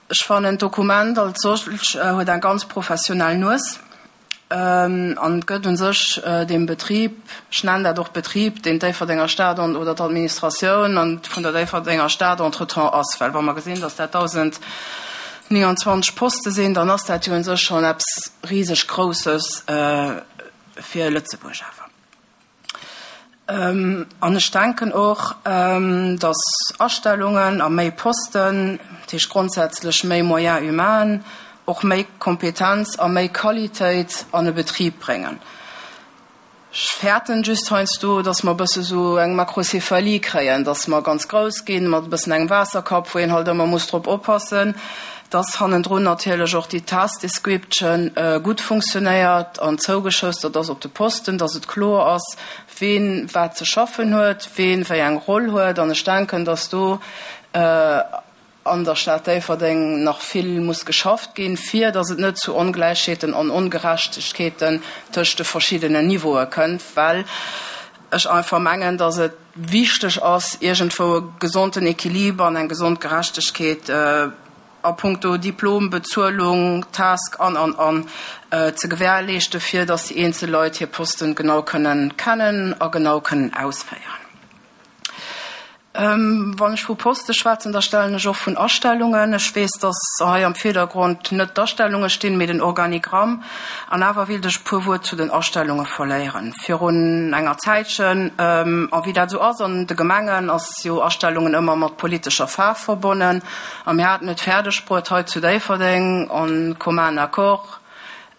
[SPEAKER 5] Ech fannen, d'Dokument als solch huet eng ganz professionell Nues an gëtt un sech dem Betrib, ech nennen dat och Betrib, deen d'Déifferdenger Stad an oder d'Administratioun an vun der Déifferdenger Stad entretemps ass, well wa mer gesinn, dass dat dausendnénganzwanzeg Poste sinn, dann ass dat jo un sech schonn eppes riseg Grousses fir Lëtzebuerg awer. An ech denken och, dass Astellungen a méi Posten, dat heescht grondsätzlech méi Moyens humains, och méi Kompetenz a méi Qualitéit an e Betrib bréngen. Ech fäerten just heiansdo, dass mer e bësse sou eng Makrozephalie kréien, dass mer ganz grouss ginn, mat e bëssen engem Waasserkapp, wou een halt ëmmer muss drop oppassen, dass hannendrun natierlech och déi Task Description gutt funktionéiert an zougeschoustert ass op de Posten, dass et kloer ass, ween wat ze schaffen huet, ween wéi eng Roll huet. An ech denken, dass do an der Stad Déifferdeng nach vill muss geschafft ginn, fir dass et net zu Ongläichheeten an Ongerechtegkeeten tëscht de verschiddenen Niveaue kënnt, well ech einfach mengen, dass et wichteg ass, iergendwou e gesonten Equiliber an eng gesond Gerechtegkeet a puncto Diplom, Bezuelung, Task an, an, an ze gewährleeschten, fir dass déi eenzel Leit hir Posten genau kënnen kennen a genau kënnen ausféieren. Wann ech vu Poste schwätzen, da stellen ech och vun Astellungen. Ech weess, dass hei am Virdergrond net d'Astellunge stinn, mee den Organigramm. An awer wéilt ech e puer Wuert zu den Astellunge verléieren. Virun enger Zäitchen, a wéi dat esou ass an de Gemengen, ass jo Astellungen ëmmer mat politescher Faarf verbonnen. A mir haten et fäerdeg bruet hei zu Déifferdeng en commun accord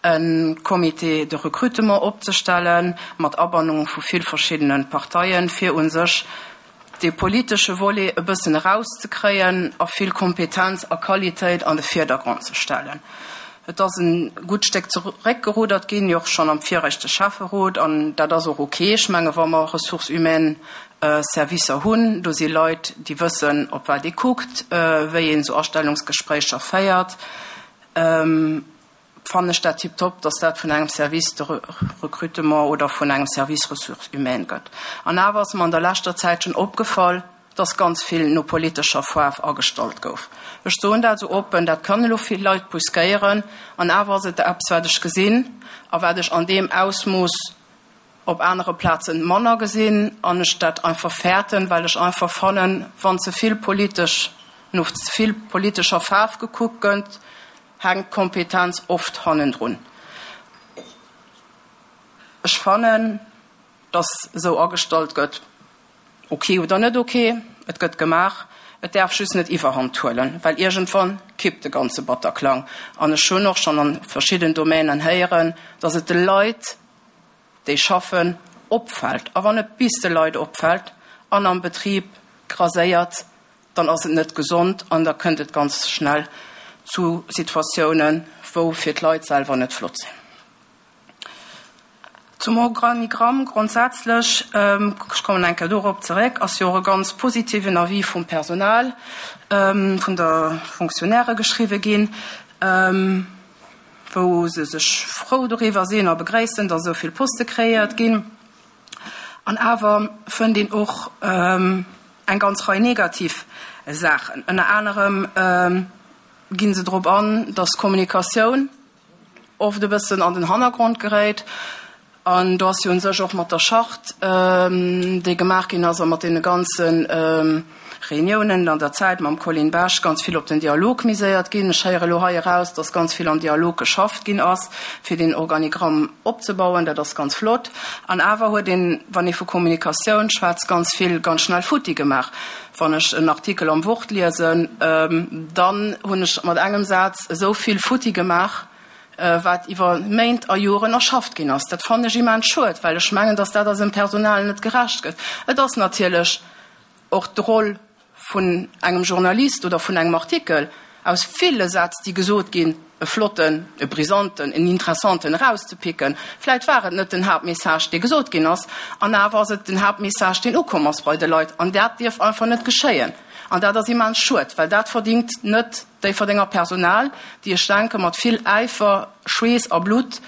[SPEAKER 5] e Comité de recrutement opzestellen, mat Abannung vu vill verschiddene Parteien, fir u sech dee politesche Volet e bëssen erauszekréien a vill Kompetenz a Qualitéit an de Virdergrond ze stellen. Et ass e gutt Stéck zeréckgeruddert ginn, jo och schonn am viregte Schäfferot, an dat ass och ok. Ech menge wa mer Ressources humaines Servicer hunn, do si Leit, déi wëssen, op wat ee kuckt, wéi een esou Astellungsgespréicher féiert, fannen ech dat tiptop, dass dat vun engem Service de recrutement oder vun engem Service Ressources humaines gëtt. An awer ass mer an der leschter Zäit schonn opgefall, dass ganz vill no politescher Faarf agestallt gouf. Ech soen dat esou oppen, dat kann elo vill Leit brüskéieren, an awer ass et eppes, wat ech gesinn a wat ech an deem Ausmooss op anere Plazen manner gesinn an ech dat einfach fäerten, well ech einfach fannen, wann ze vill politesch, no ze vill politescher Faarf gekuckt gëtt, hänkt d'Kompetenz oft hannendrun. Ech fannen, dass esou agestallt gëtt, ok oder net ok, et gëtt gemaach, et däerf just net Iwwerhand huelen, well iergendwann kippt de ganze Batterklang. An ech hunn och schonn a verschidden Domänen héieren, dass et de Leit, déi schaffen, opfält. A wann et bis de Leit opfält an am Betrib graséiert, dann ass et net gesond an da kënnt et ganz schnell zu Situatiounen, wou fir d'Leit selwer net flott sinn. Zum Organigramm grondsätzlech, ech kommen eng Kéier dorop zeréck, ass jo och e ganz positiven Avis vum Personal, vun der Fonctionnairë geschriwwe ginn, wou se sech frou doriwwer sinn a begréissen, datt esou vill Poste kreéiert ginn. An awer fënnt een och eng ganz Rei negativ Saachen. Ënner anerem gi se drop an, datt d'Kommunikatioun oft e bëssen an den Hannergrond geréit. An do ass jo un sech och mat der Charte, déi gemaach ginn ass, a mat deene ganze Reuniounen an der Zäit mam Colin Bech ganz vill op den Dialog miséiert ginn. Ech héiere elo hei eraus, datt ganz vill am Dialog geschafft ginn ass, fir deen Organigramm opzebauen. Dat ass ganz flott. An awer huet een, wann ee vu Kommunikatioun schwätzt, ganz vill ganz schnell futti gemaach. Wann ech en Artikel am Wort liesen, dann hunn ech mat engem Saz esou vill futti gemaach, wat iwwer Méint a Joren erschafft ginn ass. Dat fannen ech immens schued, well ech mengen, dass dat eisem Personal net gerecht gëtt. Et ass natierlech och d'Roll vun engem Journalist oder vun engem Artikel, aus ville Sätz, déi gesot ginn, e flotten, e brisanten, en interessanten erauszepicken. Vläit war et net den Haaptmessage, dee gesot ginn ass, an awer ass et den Haaptmessage, deen ukomm ass bei de Leit. An dat dierf einfach net geschéien. An dat ass immens schued, well dat verdingt net d'Déifferdenger Personal, déi, ech denken, mat vill Äifer, Schweess a Blutt,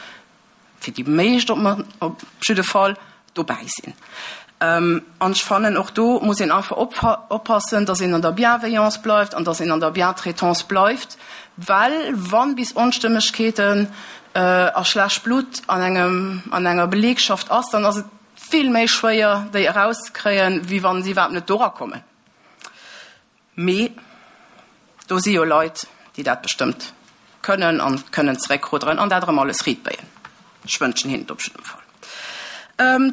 [SPEAKER 5] fir déi meescht op jidde Fall, dobäi sinn. An ech fannen, och do muss een einfach oppassen, dass een an der Bienveillance bleift an dass een an der Bientraitance bleift, well wa bis Onstëmmegkeeten a schlecht Blutt an engem, an enger Belegschaft ass, dann ass et vill méi schwéier, déi erauszekréien, wéi wa se iwwerhaapt net dora kommen. Mee do si jo Leit, déi dat bestëmmt kënnen an kënnen zeréckrudderen an dat erëm alles riitbéien. Ech wënschen hinnen et op jiddem Fall.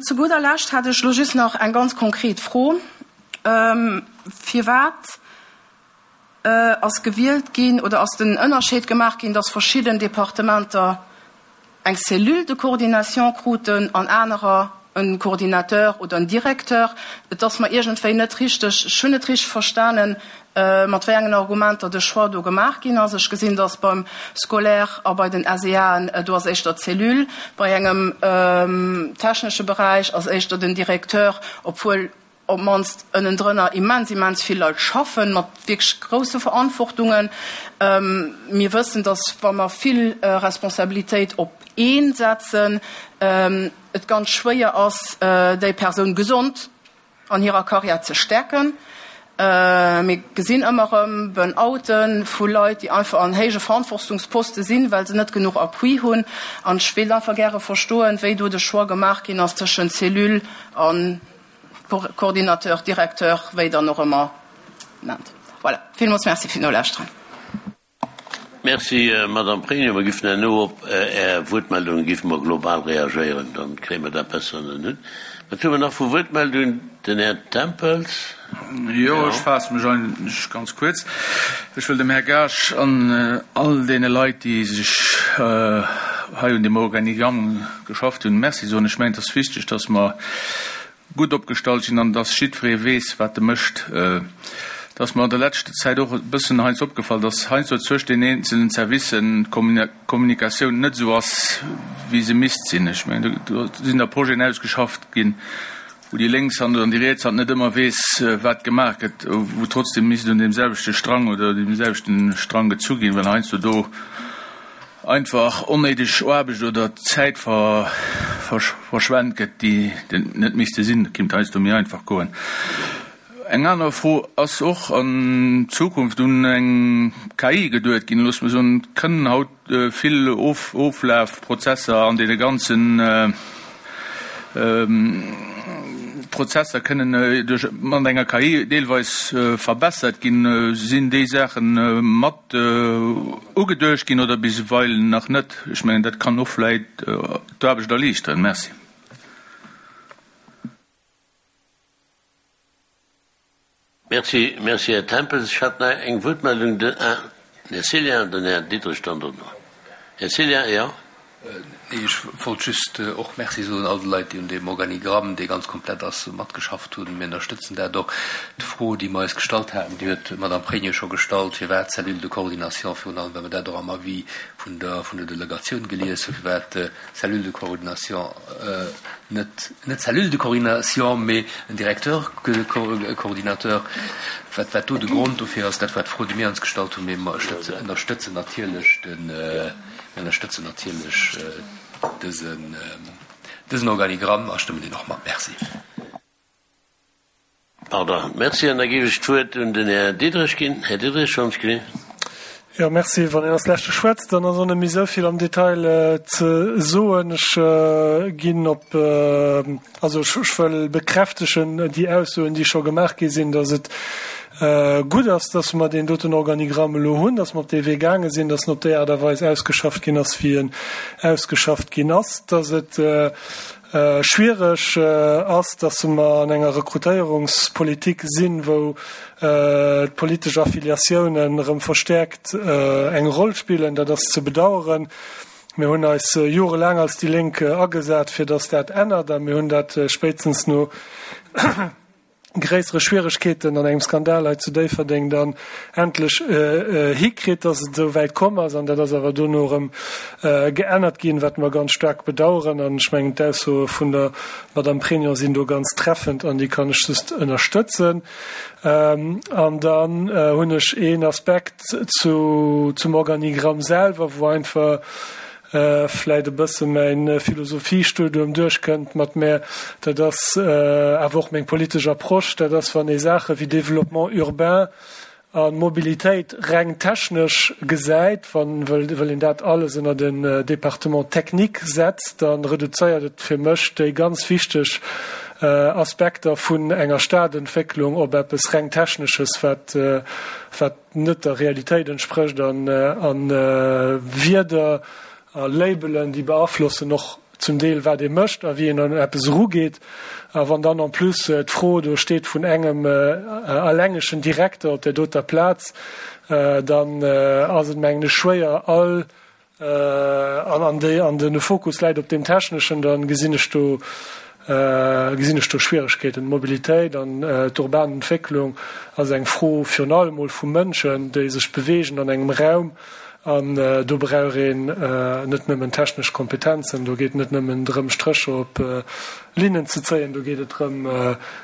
[SPEAKER 5] Zu gudder Lescht hätt ech elo just nach eng ganz konkret Fro, Firwat ass gewielt ginn oder ass den Ënnerscheed gemaach ginn, dass verschidden Departementer eng Cellule de coordination kruten an anerer en Coordinateur oder en Directeur. Et ass mer iergendwéi net richteg, ech hunn net richteg verstanen, mat wéi engen Argumenter de Choix do gemaach ginn ass. Ech gesinn, dass beim Scolaire a bei den SEAen, do ass éischter d'Cellule, bei engem technesche Beräich ass éischter den Directeur, obwuel op d'mannst ënnendrënner immens, immens vill Leit schaffen, mat wierklech grousse Verantwortungen. Mir wëssen, dass, wa mer vill Responsabilitéit op ee setzen, et ganz schwéier ass, déi Persoun gesond an hirer Karriär ze stäerken. Mir gesinn ëmmer erëm Burn-oute vu Leit, déi einfach an héije Verantwortungsposte sinn, well se net genuch Appui hunn. An ech wéilt einfach gäre verstoen, wéi do de Choix gemaach ginn ass tëschent Cellule a Coordinateur, Directeur, wéi Der en och ëmmer nennt. Voilà, villmools Merci fir d'Nolauschteren.
[SPEAKER 1] Merci, Madame Pregno. Mer giffen herno op Är Wuertmeldungen giffe mer global reagéieren, dann kréie mer dat besser ënner en Hutt. Wat hu mer nach vu Wuertmeldungen? Den Här Tempels.
[SPEAKER 6] Jo, ech faasse mech eigentlech ganz kuerz. Ech wëll dem Här Gaasch an all deene Leit, déi sech hei un deem Organigramm geschafft hunn, Merci soen. Ech mengen, et ass wichteg, dass mer gutt opgestallt sinn an dass jiddweree weess, wat e mécht. Et ass mer an der leschter Zäit och e bëssen heiansdo opgefall, dass heiansdo zwëscht den eenzelnen Servicen d'Kommunikatioun net esou ass, wéi se misst sinn. Ech mengen, do sinn da Projeten ausgeschafft ginn, wou déi lénks Hand oder déi riets Hand net ëmmer weess, wat gemaach gëtt, wou trotzdem misst un deem selwechte Strang oder deem selwechten Strang gezu ginn, well heiansdo do einfach onnéideg Aarbecht oder Zäit verschwent gëtt, déi net misste sinn. Dat kéint heiansdo méi einfach goen. Eng aner Fro, Ass och an Zukunft un eng K I geduet ginn? Loosse mer soen, et kënnen haut vill Oflafprozesser an deene ganzen Prozesser kënnen duerch mat enger K I deelweis verbessert ginn. Sinn déi Saache mat ugeduecht ginn oder bisweilen nach net? Ech mengen, dat kann och vläit d'Aarbecht erliichteren. Merci.
[SPEAKER 1] Merci, merci, Här Tempels. Ech hat nach eng Wuertmeldung, den Här Cillien an den Här Diderich dann dono. Här Cillien, jo.
[SPEAKER 7] Nee, ech wollt just och Merci soen all de Leit, déi un deem Organigramm, dee ganz komplett ass, matgeschafft hunn. Mir ënnerstëtzen dat och. D'Fro, déi mer eis gestallt haten, déi huet d'Madame Pregno scho gestallt, firwat Cellule de coordination, virun allem well mer dat och am Avis vun der, vun der Delegatioun gelies hunn, firwat Cellule de coordination net, net Cellule de coordination, mee en Directeur coordinateur, wat, wat do de Grond dofir ass. Dat war d'Fro, déi mir ons gestallt hunn, mee mer ënnerstëtzen natierlech den, Mir ënnerstëtzen natierlech dësen, dësen Organigramm a stëmmen deen och mat. Merci.
[SPEAKER 1] Pardon. Merci. An da géif ech d'Wuert un den Här Diderich ginn. Här Diderich, schonns ginn.
[SPEAKER 8] Jo, merci. Wann een als Leschte schwätzt, dann ass och net méi esou vill am Detail ze soen. Ech ginn op, also ech wëll bekräftegen déi Aussoen, déi scho gemaach gi sinn, dass et Gutt ass, dass mer deen doten Organigramm elo hunn, dass mer op dee Wee gaange sinn, dass en op déi Aart a Weis ausgeschafft ginn ass, wéi en ausgeschafft ginn ass, dass et schwiereg ass, dass mer an enger Rekrutéierungspolitik sinn, wou d'politesch Affiliatiounen erëm verstärkt eng Roll spillen. Dat ass ze bedauern. Mir hunn eis jorelaang als déi Lénk agesat, fir dass dat ännert, a mir hunn dat spéitstens no gréissere Schwieregkeeten an engem Skandal hei zu Déifferdeng dann endlech hikritt, dass et esou wäit komm ass. An dat ass awer dono erëm geännert ginn, wat mer ganz staark bedauern. An ech mengen, d'Aussoe vun der Madame Pregno sinn do ganz treffend an déi kann ech just ënnerstëtzen. An dann hunn ech een Aspekt zu, zum Organigramm selwer, wou einfach vläit e bësse mäin Philosophiestudium duerchkënnt mat mär, dat ass awer och meng politesch Approche, dat ass, wann ee Saache wéi Développement urbain a Mobilitéit reng technesch gesäit, wann wëll een dat alles ënner den Département technique setzt, da reduzéiert et fir mech déi ganz wichteg Aspekter vun enger Stadentwécklung op eppes reng Technesches, wat wat net der Realitéit entsprécht an Wierder a Labelen, déi beaflossen och zum Deel, wat ee mécht a wéi een un eppes erugeet. A wann dann en plus d'Fro do steet vun engem allengegen Direkter op där doter Plaz, dann ass et, mengen ech, schwéier all, an an de Fokus läit op deem Techneschen, da gesinn ech do gesinn ech do Schwieregkeeten. D'Mobilitéit an d'urban Entwécklung ass eng Fro virun allem mol vu Mënschen, déi sech beweegen an engem Raum. An do brauch een net nëmmen technesch Kompetenzen, do geet et net nëmmen drëm, Strécher op Linnen ze zéien, do geet et drëm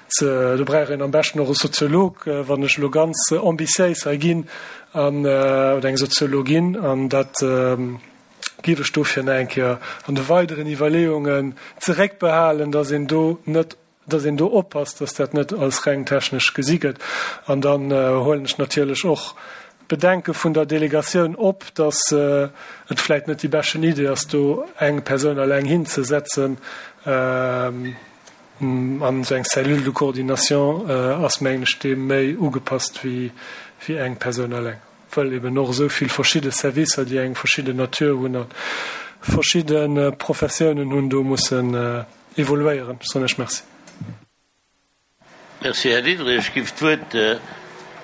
[SPEAKER 8] ze, do brauch een am beschten och e Soziolog, wann ech elo ganz ambitiéis hei ginn, an, oder eng Soziologin, an dat géif ech dofir nach eng Kéier an de weideren Iwwerleeungen zeréckbehalen, dass een do net, dass een do oppasst, dass dat net als reng technesch gesi gëtt. An dann huelen ech natierlech och d'Bedenke vun der Delegatioun op, dass et vläit net déi beschten Idee ass, do eng Persoun eleng hinzesetzen. An esou eng Cellule de coordination ass, mengen ech, deem méi ugepasst wéi eng Persoun eleng, wëll eben och esou vill verschidde Servicer, déi eng verschidden Natur hunn a verschidde Professiounen hunn, do mussen evoluéieren. Ech soen Iech Merci.
[SPEAKER 1] Merci, Här Diderich. Ech géif d'Wuert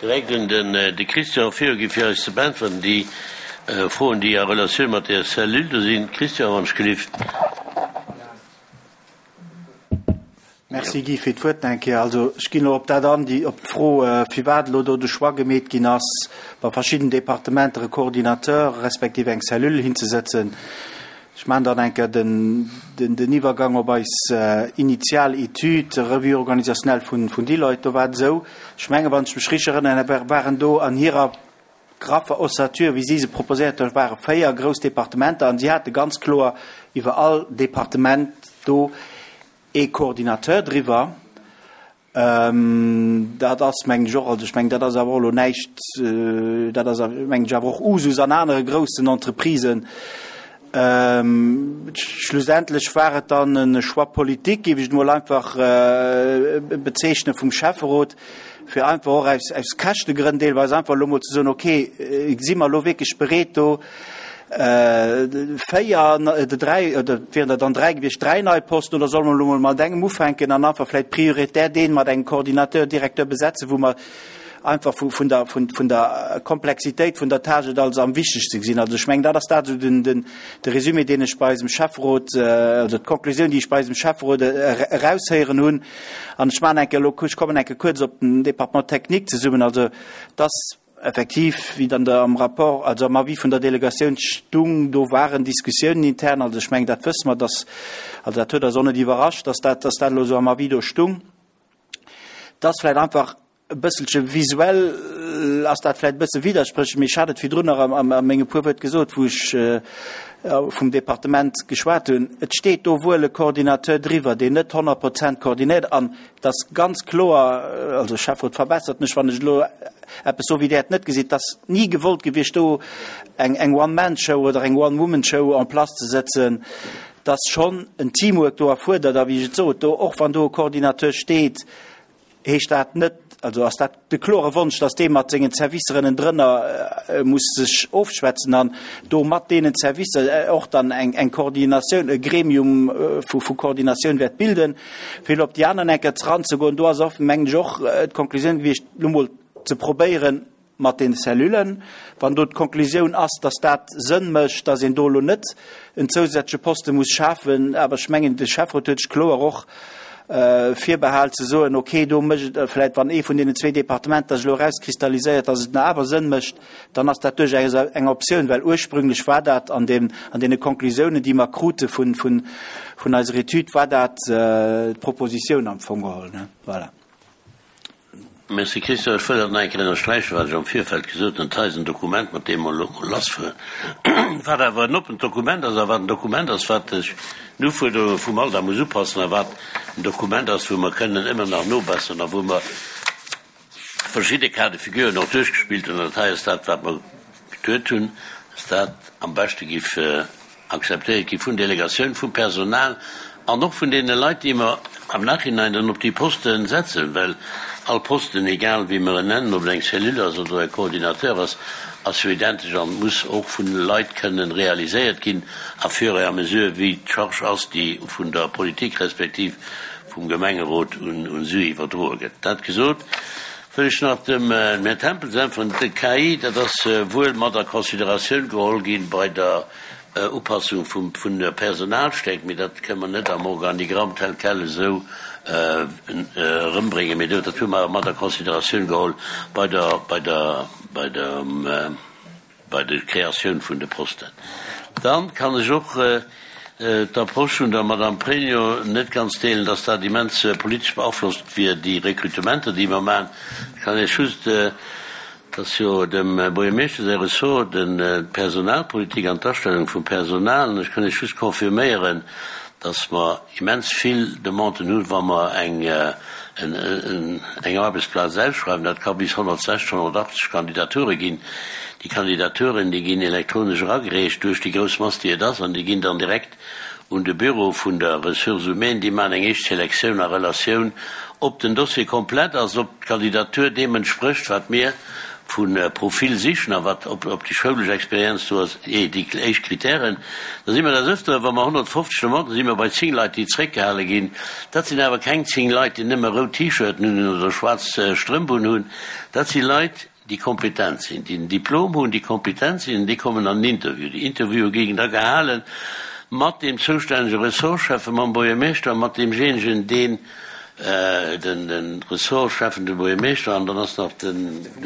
[SPEAKER 1] direkt un den de Christian virginn, fir eis ze beäntweren déi Froen, déi a Relatioun mat där Cellule do sinn. Christian, wann ech gelift.
[SPEAKER 2] Merci, Guy, fir d'Wuert nach eng Kéier. Also, ech ginn elo op dat an, déi, op d'Fro, firwat elo do de Choix gemeet ginn ass, bei verschidden Departementer e Coordinateur respektiv eng Cellule hinzesëtzen. Ech maachen dann eng Kéier den, den, den Iwwergang op eis initial Etüd, Revue organisationnelle vun, vun Deloitte. Do war et esou, ech mengen, wann ech mech richteg erënneren, waren do an hirer graffer Ossature, wéi si se proposéiert hunn, ware véier grouss Departementer an si hate ganz kloer iwwer all Departement do ee Coordinateur driwwer. Dat ass, mengen ech, och, also ech mengen, dat ass awer och elo näischt, dat ass, mengen ech, awer och Usus an anere groussen Entreprisen. Schlussendlech war et dann e Choix politique, géif ech et emol einfach bezeechnen, vum Schäfferot, fir einfach och aus, aus Käschtegrënn deelweis einfach elo emol ze soen, okay, si mer elo wierklech bereet do véier, oder dräi, oder et wieren der dann dräi gewiescht, dräi nei Posten, oder solle mer elo emol mat engem ufänken an einfach vläicht prioritär dee mat engem Coordinateur, Directeur besetzen, wou mer einfach vu, vun der, vun, vun der Komplexitéit vun der Tâche et als am wichtegste gesinn. Also ech mengen, dat ass dat esou den, den, de Résumé, deen ech bei eisem Schäfferot, also d'Konklusioun, déi ech bei eisem Schäfferot eraushéieren hunn. An ech maachen eng Kéier elo, ech kommen eng Kéier kuerz op den Département technique zesummen. Also dass effektiv, wéi dann der am Rapport, also am Avis vun der Delegatioun stung, do waren Diskussiounen intern, also ech mengen, dat wësse mer, dass, also dat huet eis och net iwwerrascht, dass dat, dass dat elo esou am Avis do stung, dass vläicht einfach e bësselche visuell ass dat vläicht e bësse widderspréchlech, mee ech hat et virdrun nach a menge puer Wuert gesot, wou ech vum Departement geschwat hunn, Et steet do wuel e Coordinateur driwwer, deen net honnert Prozent koordinéiert an et ass ganz kloer, also Schäfferot, verbessert mech, wann ech elo eppes soe wéi Der et net gesitt, et ass ni gewollt gewiescht, do eng One-Man-Show oder eng One-Woman-Show en place ze setzen. Et ass schonn en Teamwork do erfuerdert a wéi ech et sot, do, och wann do e Coordinateur steet, heescht dat net, also ass dat de klore Wonsch, dass dee mat sengen Servicer ënnendrënner muss sech ofschwätzen an do mat deenen Servicer och dann eng eng Koordinatioun, e Gremium vu vu Koordinatioun wäert bilden. Fir elo op déi aner Ecker eranzegoen, do ass och, mengen ech, och d'Konklusioun gewiescht, elo mol ze probéieren mat den Cellullen, wann do d'Konklusioun ass, dass dat Sënn mécht, dass een do elo net en zousätzleche Poste muss schafen. Awer ech mengen, de Schäfferot huet sech kloer och virbehal ze soen, okay, do mécht et vläicht, wann ee vun deenen zwee Departementer sech elo erauskristalliséiert, dass et nach awer Sënn mécht, dann ass dat duerchaus eng Optioun, well ursprünglech war dat an deem, an deene Konklusiounen, déi mer krute vun, vun, vun eiser Etüd, war dat d'Propositioun am Fong geholl, ne? Voilà.
[SPEAKER 1] Merci Christian. Ech wëll dat nach eng Kéier ënnersträichen, wat ech am Virfeld gesot hunn. Dat hei ass en Dokument, mat deem mer elo mol lassfueren, wat awer en oppent Dokument ass a wat en Dokument ass, wat sech den Ufuerderunge vum Alter muss upassen a wat en Dokument ass, wou mer kënnen ëmmer nach nobesseren a wou mer verschidde Cas de figuren och duerchgespillt hunn. An dat hei ass dat, wat mer geduet hunn, dass dat am beschte giff akzeptéiert gi vun Delegatioun, vum Personal an och vun deene Leit, déi mer am Nachhinein dann op déi Poste setzen, well all Posten, egal wéi mer en nennen, ob et eng Cellule ass oder e Coordinateur ass, ass jo identesch an muss och vun Leit kënnen realiséiert ginn à fur et à mesure wéi d'Charge ass, déi vun der Politik respektiv vum Gemengerot un si iwwerdroe gëtt. Dat gesot, wëll ech nach dem Här Tempels äntweren. De K I, dat ass wuel mat a Consideratioun geholl gi bei der Upassung vum vun der Personalstäerkt, mee dat kënne mer net am Organigramm tel quel esou erëmbréngen, mee dat hu mer mat a Consideratioun geholl bei der bei der bei der bei der Kreatioun vun de Posten. Dann kann ech och d'Approche vun der Madame Pregno net ganz deelen, dass dat immens politesch beaflosst wier, déi Rekrutementer, déi mer maachen. Ech kann Iech just, et ass jo dem Buergermeeschter säi Ressort, d'Personalpolitik an d'Astellung vum Personal, an ech kann Iech just confirméieren, dass mer immens vill Demanden hunn, wa mer eng eng Aarbechtsplaz ausschreiwen. Dat ka bis honnertsechzeg, honnertachtzeg Kandidature ginn. Déi Kandidaturen, déi ginn elektronesch eragereecht duerch déi grouss Mass, déi et ass, an déi ginn dann direkt un de Büro vun der Ressources humaines. Déi maachen eng éischt Selektioun a Relatioun, ob den Dossier komplett ass, ob d'Kandidatur deem entsprécht, wat mir vu Profil sichen a wat, ob déi schoulesch Experienz do ass, ee déi éischt Kritären. Da si mer des Ëfteren, wa mer honnertfofzeg Demanden, si mer bei zéng Leit, déi zréckgehale ginn. Dat sinn awer keng zéng Leit, déi nëmme rout T-Shirten hunn oder schwaarz Strëmp unhunn. Dat si Leit, déi kompetent sinn, déi en Diplom hunn, déi kompetent sinn, an déi kommen an den Interview. Déi Interviewe ginn da gehale mat deem zoustännege Ressortschäffen, mam Buergermeeschter, mat deemjéinegen, deen de Ressortschäffen, de Buergermeeschter, an dann ass nach de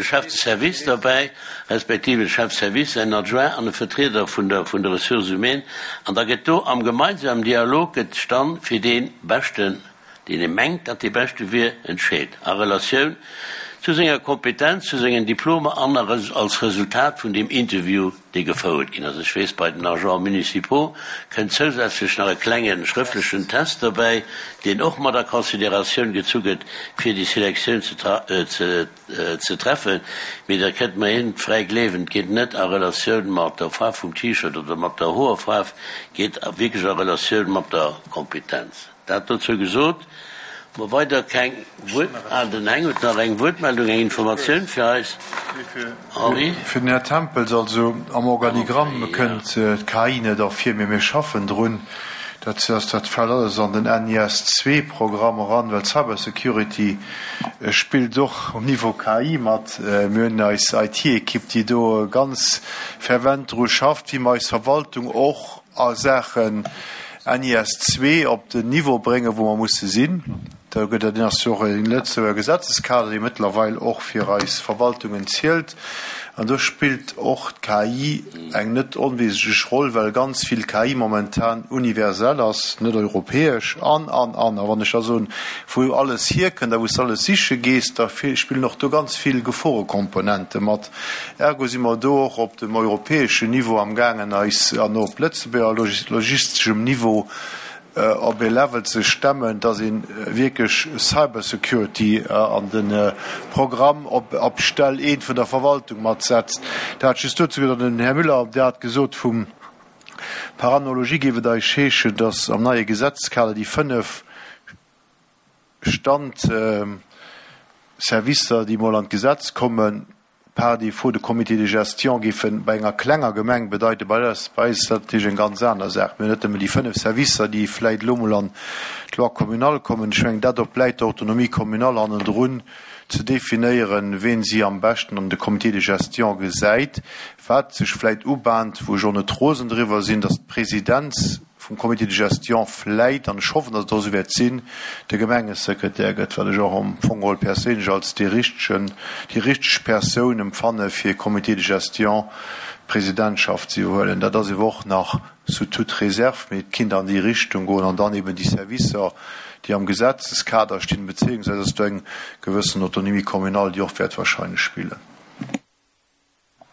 [SPEAKER 1] Chef de service derbäi, respektiv de Chef de service, säin Adjoint an e Vertrieder vun der vun de Ressources humaines. An da gëtt do am gemeinsamen Dialog gëtt sech dann fir dee Beschten, deen ee mengt, datt dee Beschte wier, entscheet a Relatioun zu senger Kompetenz, zu sengen Diplomer an als Resultat vun deem Interview, dee gefouert ginn ass. Ech weess, bei den Agents municipaux kënnt zousätzlech nach e klenge schrëftlechen Test derbäi, deen och mat a Consideratioun gezu gëtt, fir déi Selektioun ze treffen. Mee dat kënnt mer een fräi gleewen, et geet net a Relatioun mat der Faarf vum T-Shirt oder mat der Hoerfaarf, geet wierklech a Relatioun mat der Kompetenz. Dat dozou gesot. Mer weider keng Wuert. Ah, den Heng huet nach eng Wuertmeldung, eng Informatioun fir eis. Henri?
[SPEAKER 3] Fir den Här Tempels, Also am Organigramm kënnt d'K I net ervir, mee mir schaffen drun. Dat ass, dat fält alles an den N I S zwee Programm eran, well Cybersecurity spillt och um Niveau K I mat. Mir hunn eis I T-Ekipp, déi do ganz fervent dru schafft, wéi mer eis Verwaltung och a Saachen N I S zwee op den Niveau bréngen, wou mer musse sinn. Da gëtt et ass jo och e Lëtzebuerger Gesetzeskader, dee mëttlerweil och fir eis Verwaltungen zielt. An do spillt och d'K I eng net onwesentlech Roll, well ganz vill K I momentan universell ass, net europäesch an, an, an. A wann ech da soen, wou alles hierkënnt a wou s de alles siche gees, da spillen och do ganz vill Geforekomponente mat. Ergo si mer do och op dem europäeschen Niveau amgaangen, eis an och op Lëtzebuerger logisteschem Niveau op ee Level ze stemmen, dass ee wierklech Cybersecurity an de Programm op Stell eent vun der Verwaltung matsetzt. Dat just dozou gesot. An den Här Müller, Dir hat gesot, vum par analogie géif et eis heeschen, dass am neie Gesetzeskader déi fënnef Standservicer, déi emol an d'Gesetz kommen, par défaut de Comité de gestion géife bei enger klenger Gemeng bedeiten. Bei eis ass dat natierlech eng ganz aner Saach. Mir hunn net nëmmen déi fënnef Servicer, déi vläicht elo emol an d'Loi communale kommen. Ech mengen, dat obläit der Autonomie communale hannendrun ze definéieren, ween si am beschten an de Comité de gestion gesäit. Wat sech vläicht ubahnt, wou ech och net rosen driwwer sinn, datt d'Presidenz vum Comité de gestion vläit, an ech hoffen, datt et och esou wäert sinn, de Gemengesekretär gëtt, wat ech och am Fong geholl perséinlech als dee richtegen, déi richteg Persoun empfanne fir Comité de gestion d'Presidentschaft ze iwwerhuelen. Dat ass ewer och nach sous toute réserve, mee et kinnt an déi Richtung goen an dann eben déi Servicer, déi am Gesetzeskader stinn, beziéungsweis ass do eng gewëssen Autonomie communale, déi och wäert wahrscheinlech spillen.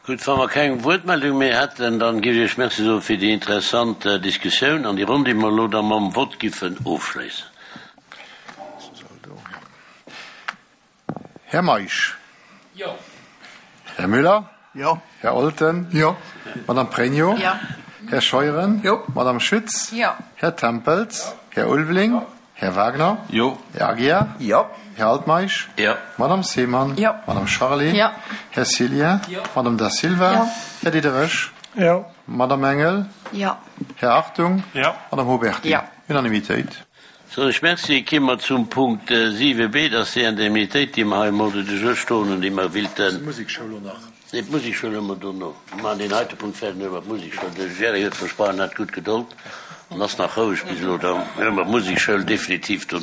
[SPEAKER 1] Gutt, wa mer keng Wuertmeldung méi hätten, dann géif ech Iech Merci soe fir déi interessant Diskussioun an déi Ronn, déi mer elo da mam Vott giffen ofschléissen.
[SPEAKER 3] Här Meisch.
[SPEAKER 6] Jo.
[SPEAKER 3] Här Müller.
[SPEAKER 4] Jo.
[SPEAKER 3] Här Olten.
[SPEAKER 4] Jo.
[SPEAKER 3] Madame Pregno.
[SPEAKER 5] Jo.
[SPEAKER 3] Här Scheuren.
[SPEAKER 4] Jo.
[SPEAKER 3] Madame Schütz.
[SPEAKER 5] Jo.
[SPEAKER 3] Här Tempels. Här Ulveling. Här Wagner.
[SPEAKER 6] Jo.
[SPEAKER 3] Här Aguiar.
[SPEAKER 2] Jo.
[SPEAKER 3] Här Altmeisch.
[SPEAKER 1] Jo.
[SPEAKER 3] Madame Seemann.
[SPEAKER 5] Jo.
[SPEAKER 3] Madame Charlé.
[SPEAKER 5] Jo.
[SPEAKER 3] Här Cillien.
[SPEAKER 6] Jo.
[SPEAKER 3] Madame Da Silva.
[SPEAKER 5] Jo.
[SPEAKER 3] Här Diderich.
[SPEAKER 8] Jo.
[SPEAKER 3] Madame Engel.
[SPEAKER 5] Jo.
[SPEAKER 3] Här Hartung.
[SPEAKER 8] Jo.
[SPEAKER 3] Madame Huberty.
[SPEAKER 5] Jo.
[SPEAKER 3] Unanimitéit.
[SPEAKER 1] Soen ech Merci. Ki mer zum Punkt siwe b, dat ass déi Indemnitéit, déi mer hei am Ordre du jour stoen hunn, déi mer willten.
[SPEAKER 3] Musekschoul och nach.
[SPEAKER 1] Nee, d'Musekschoul hu mer dono. Mer maachen deen heite Punkt fäerdeg, dann hu mer d'Musekschoul. De Jerry huet versprach, en hat gutt Gedold an ass nach roueg bis elo. Dann hu mer d'Musekschoul definitiv dono.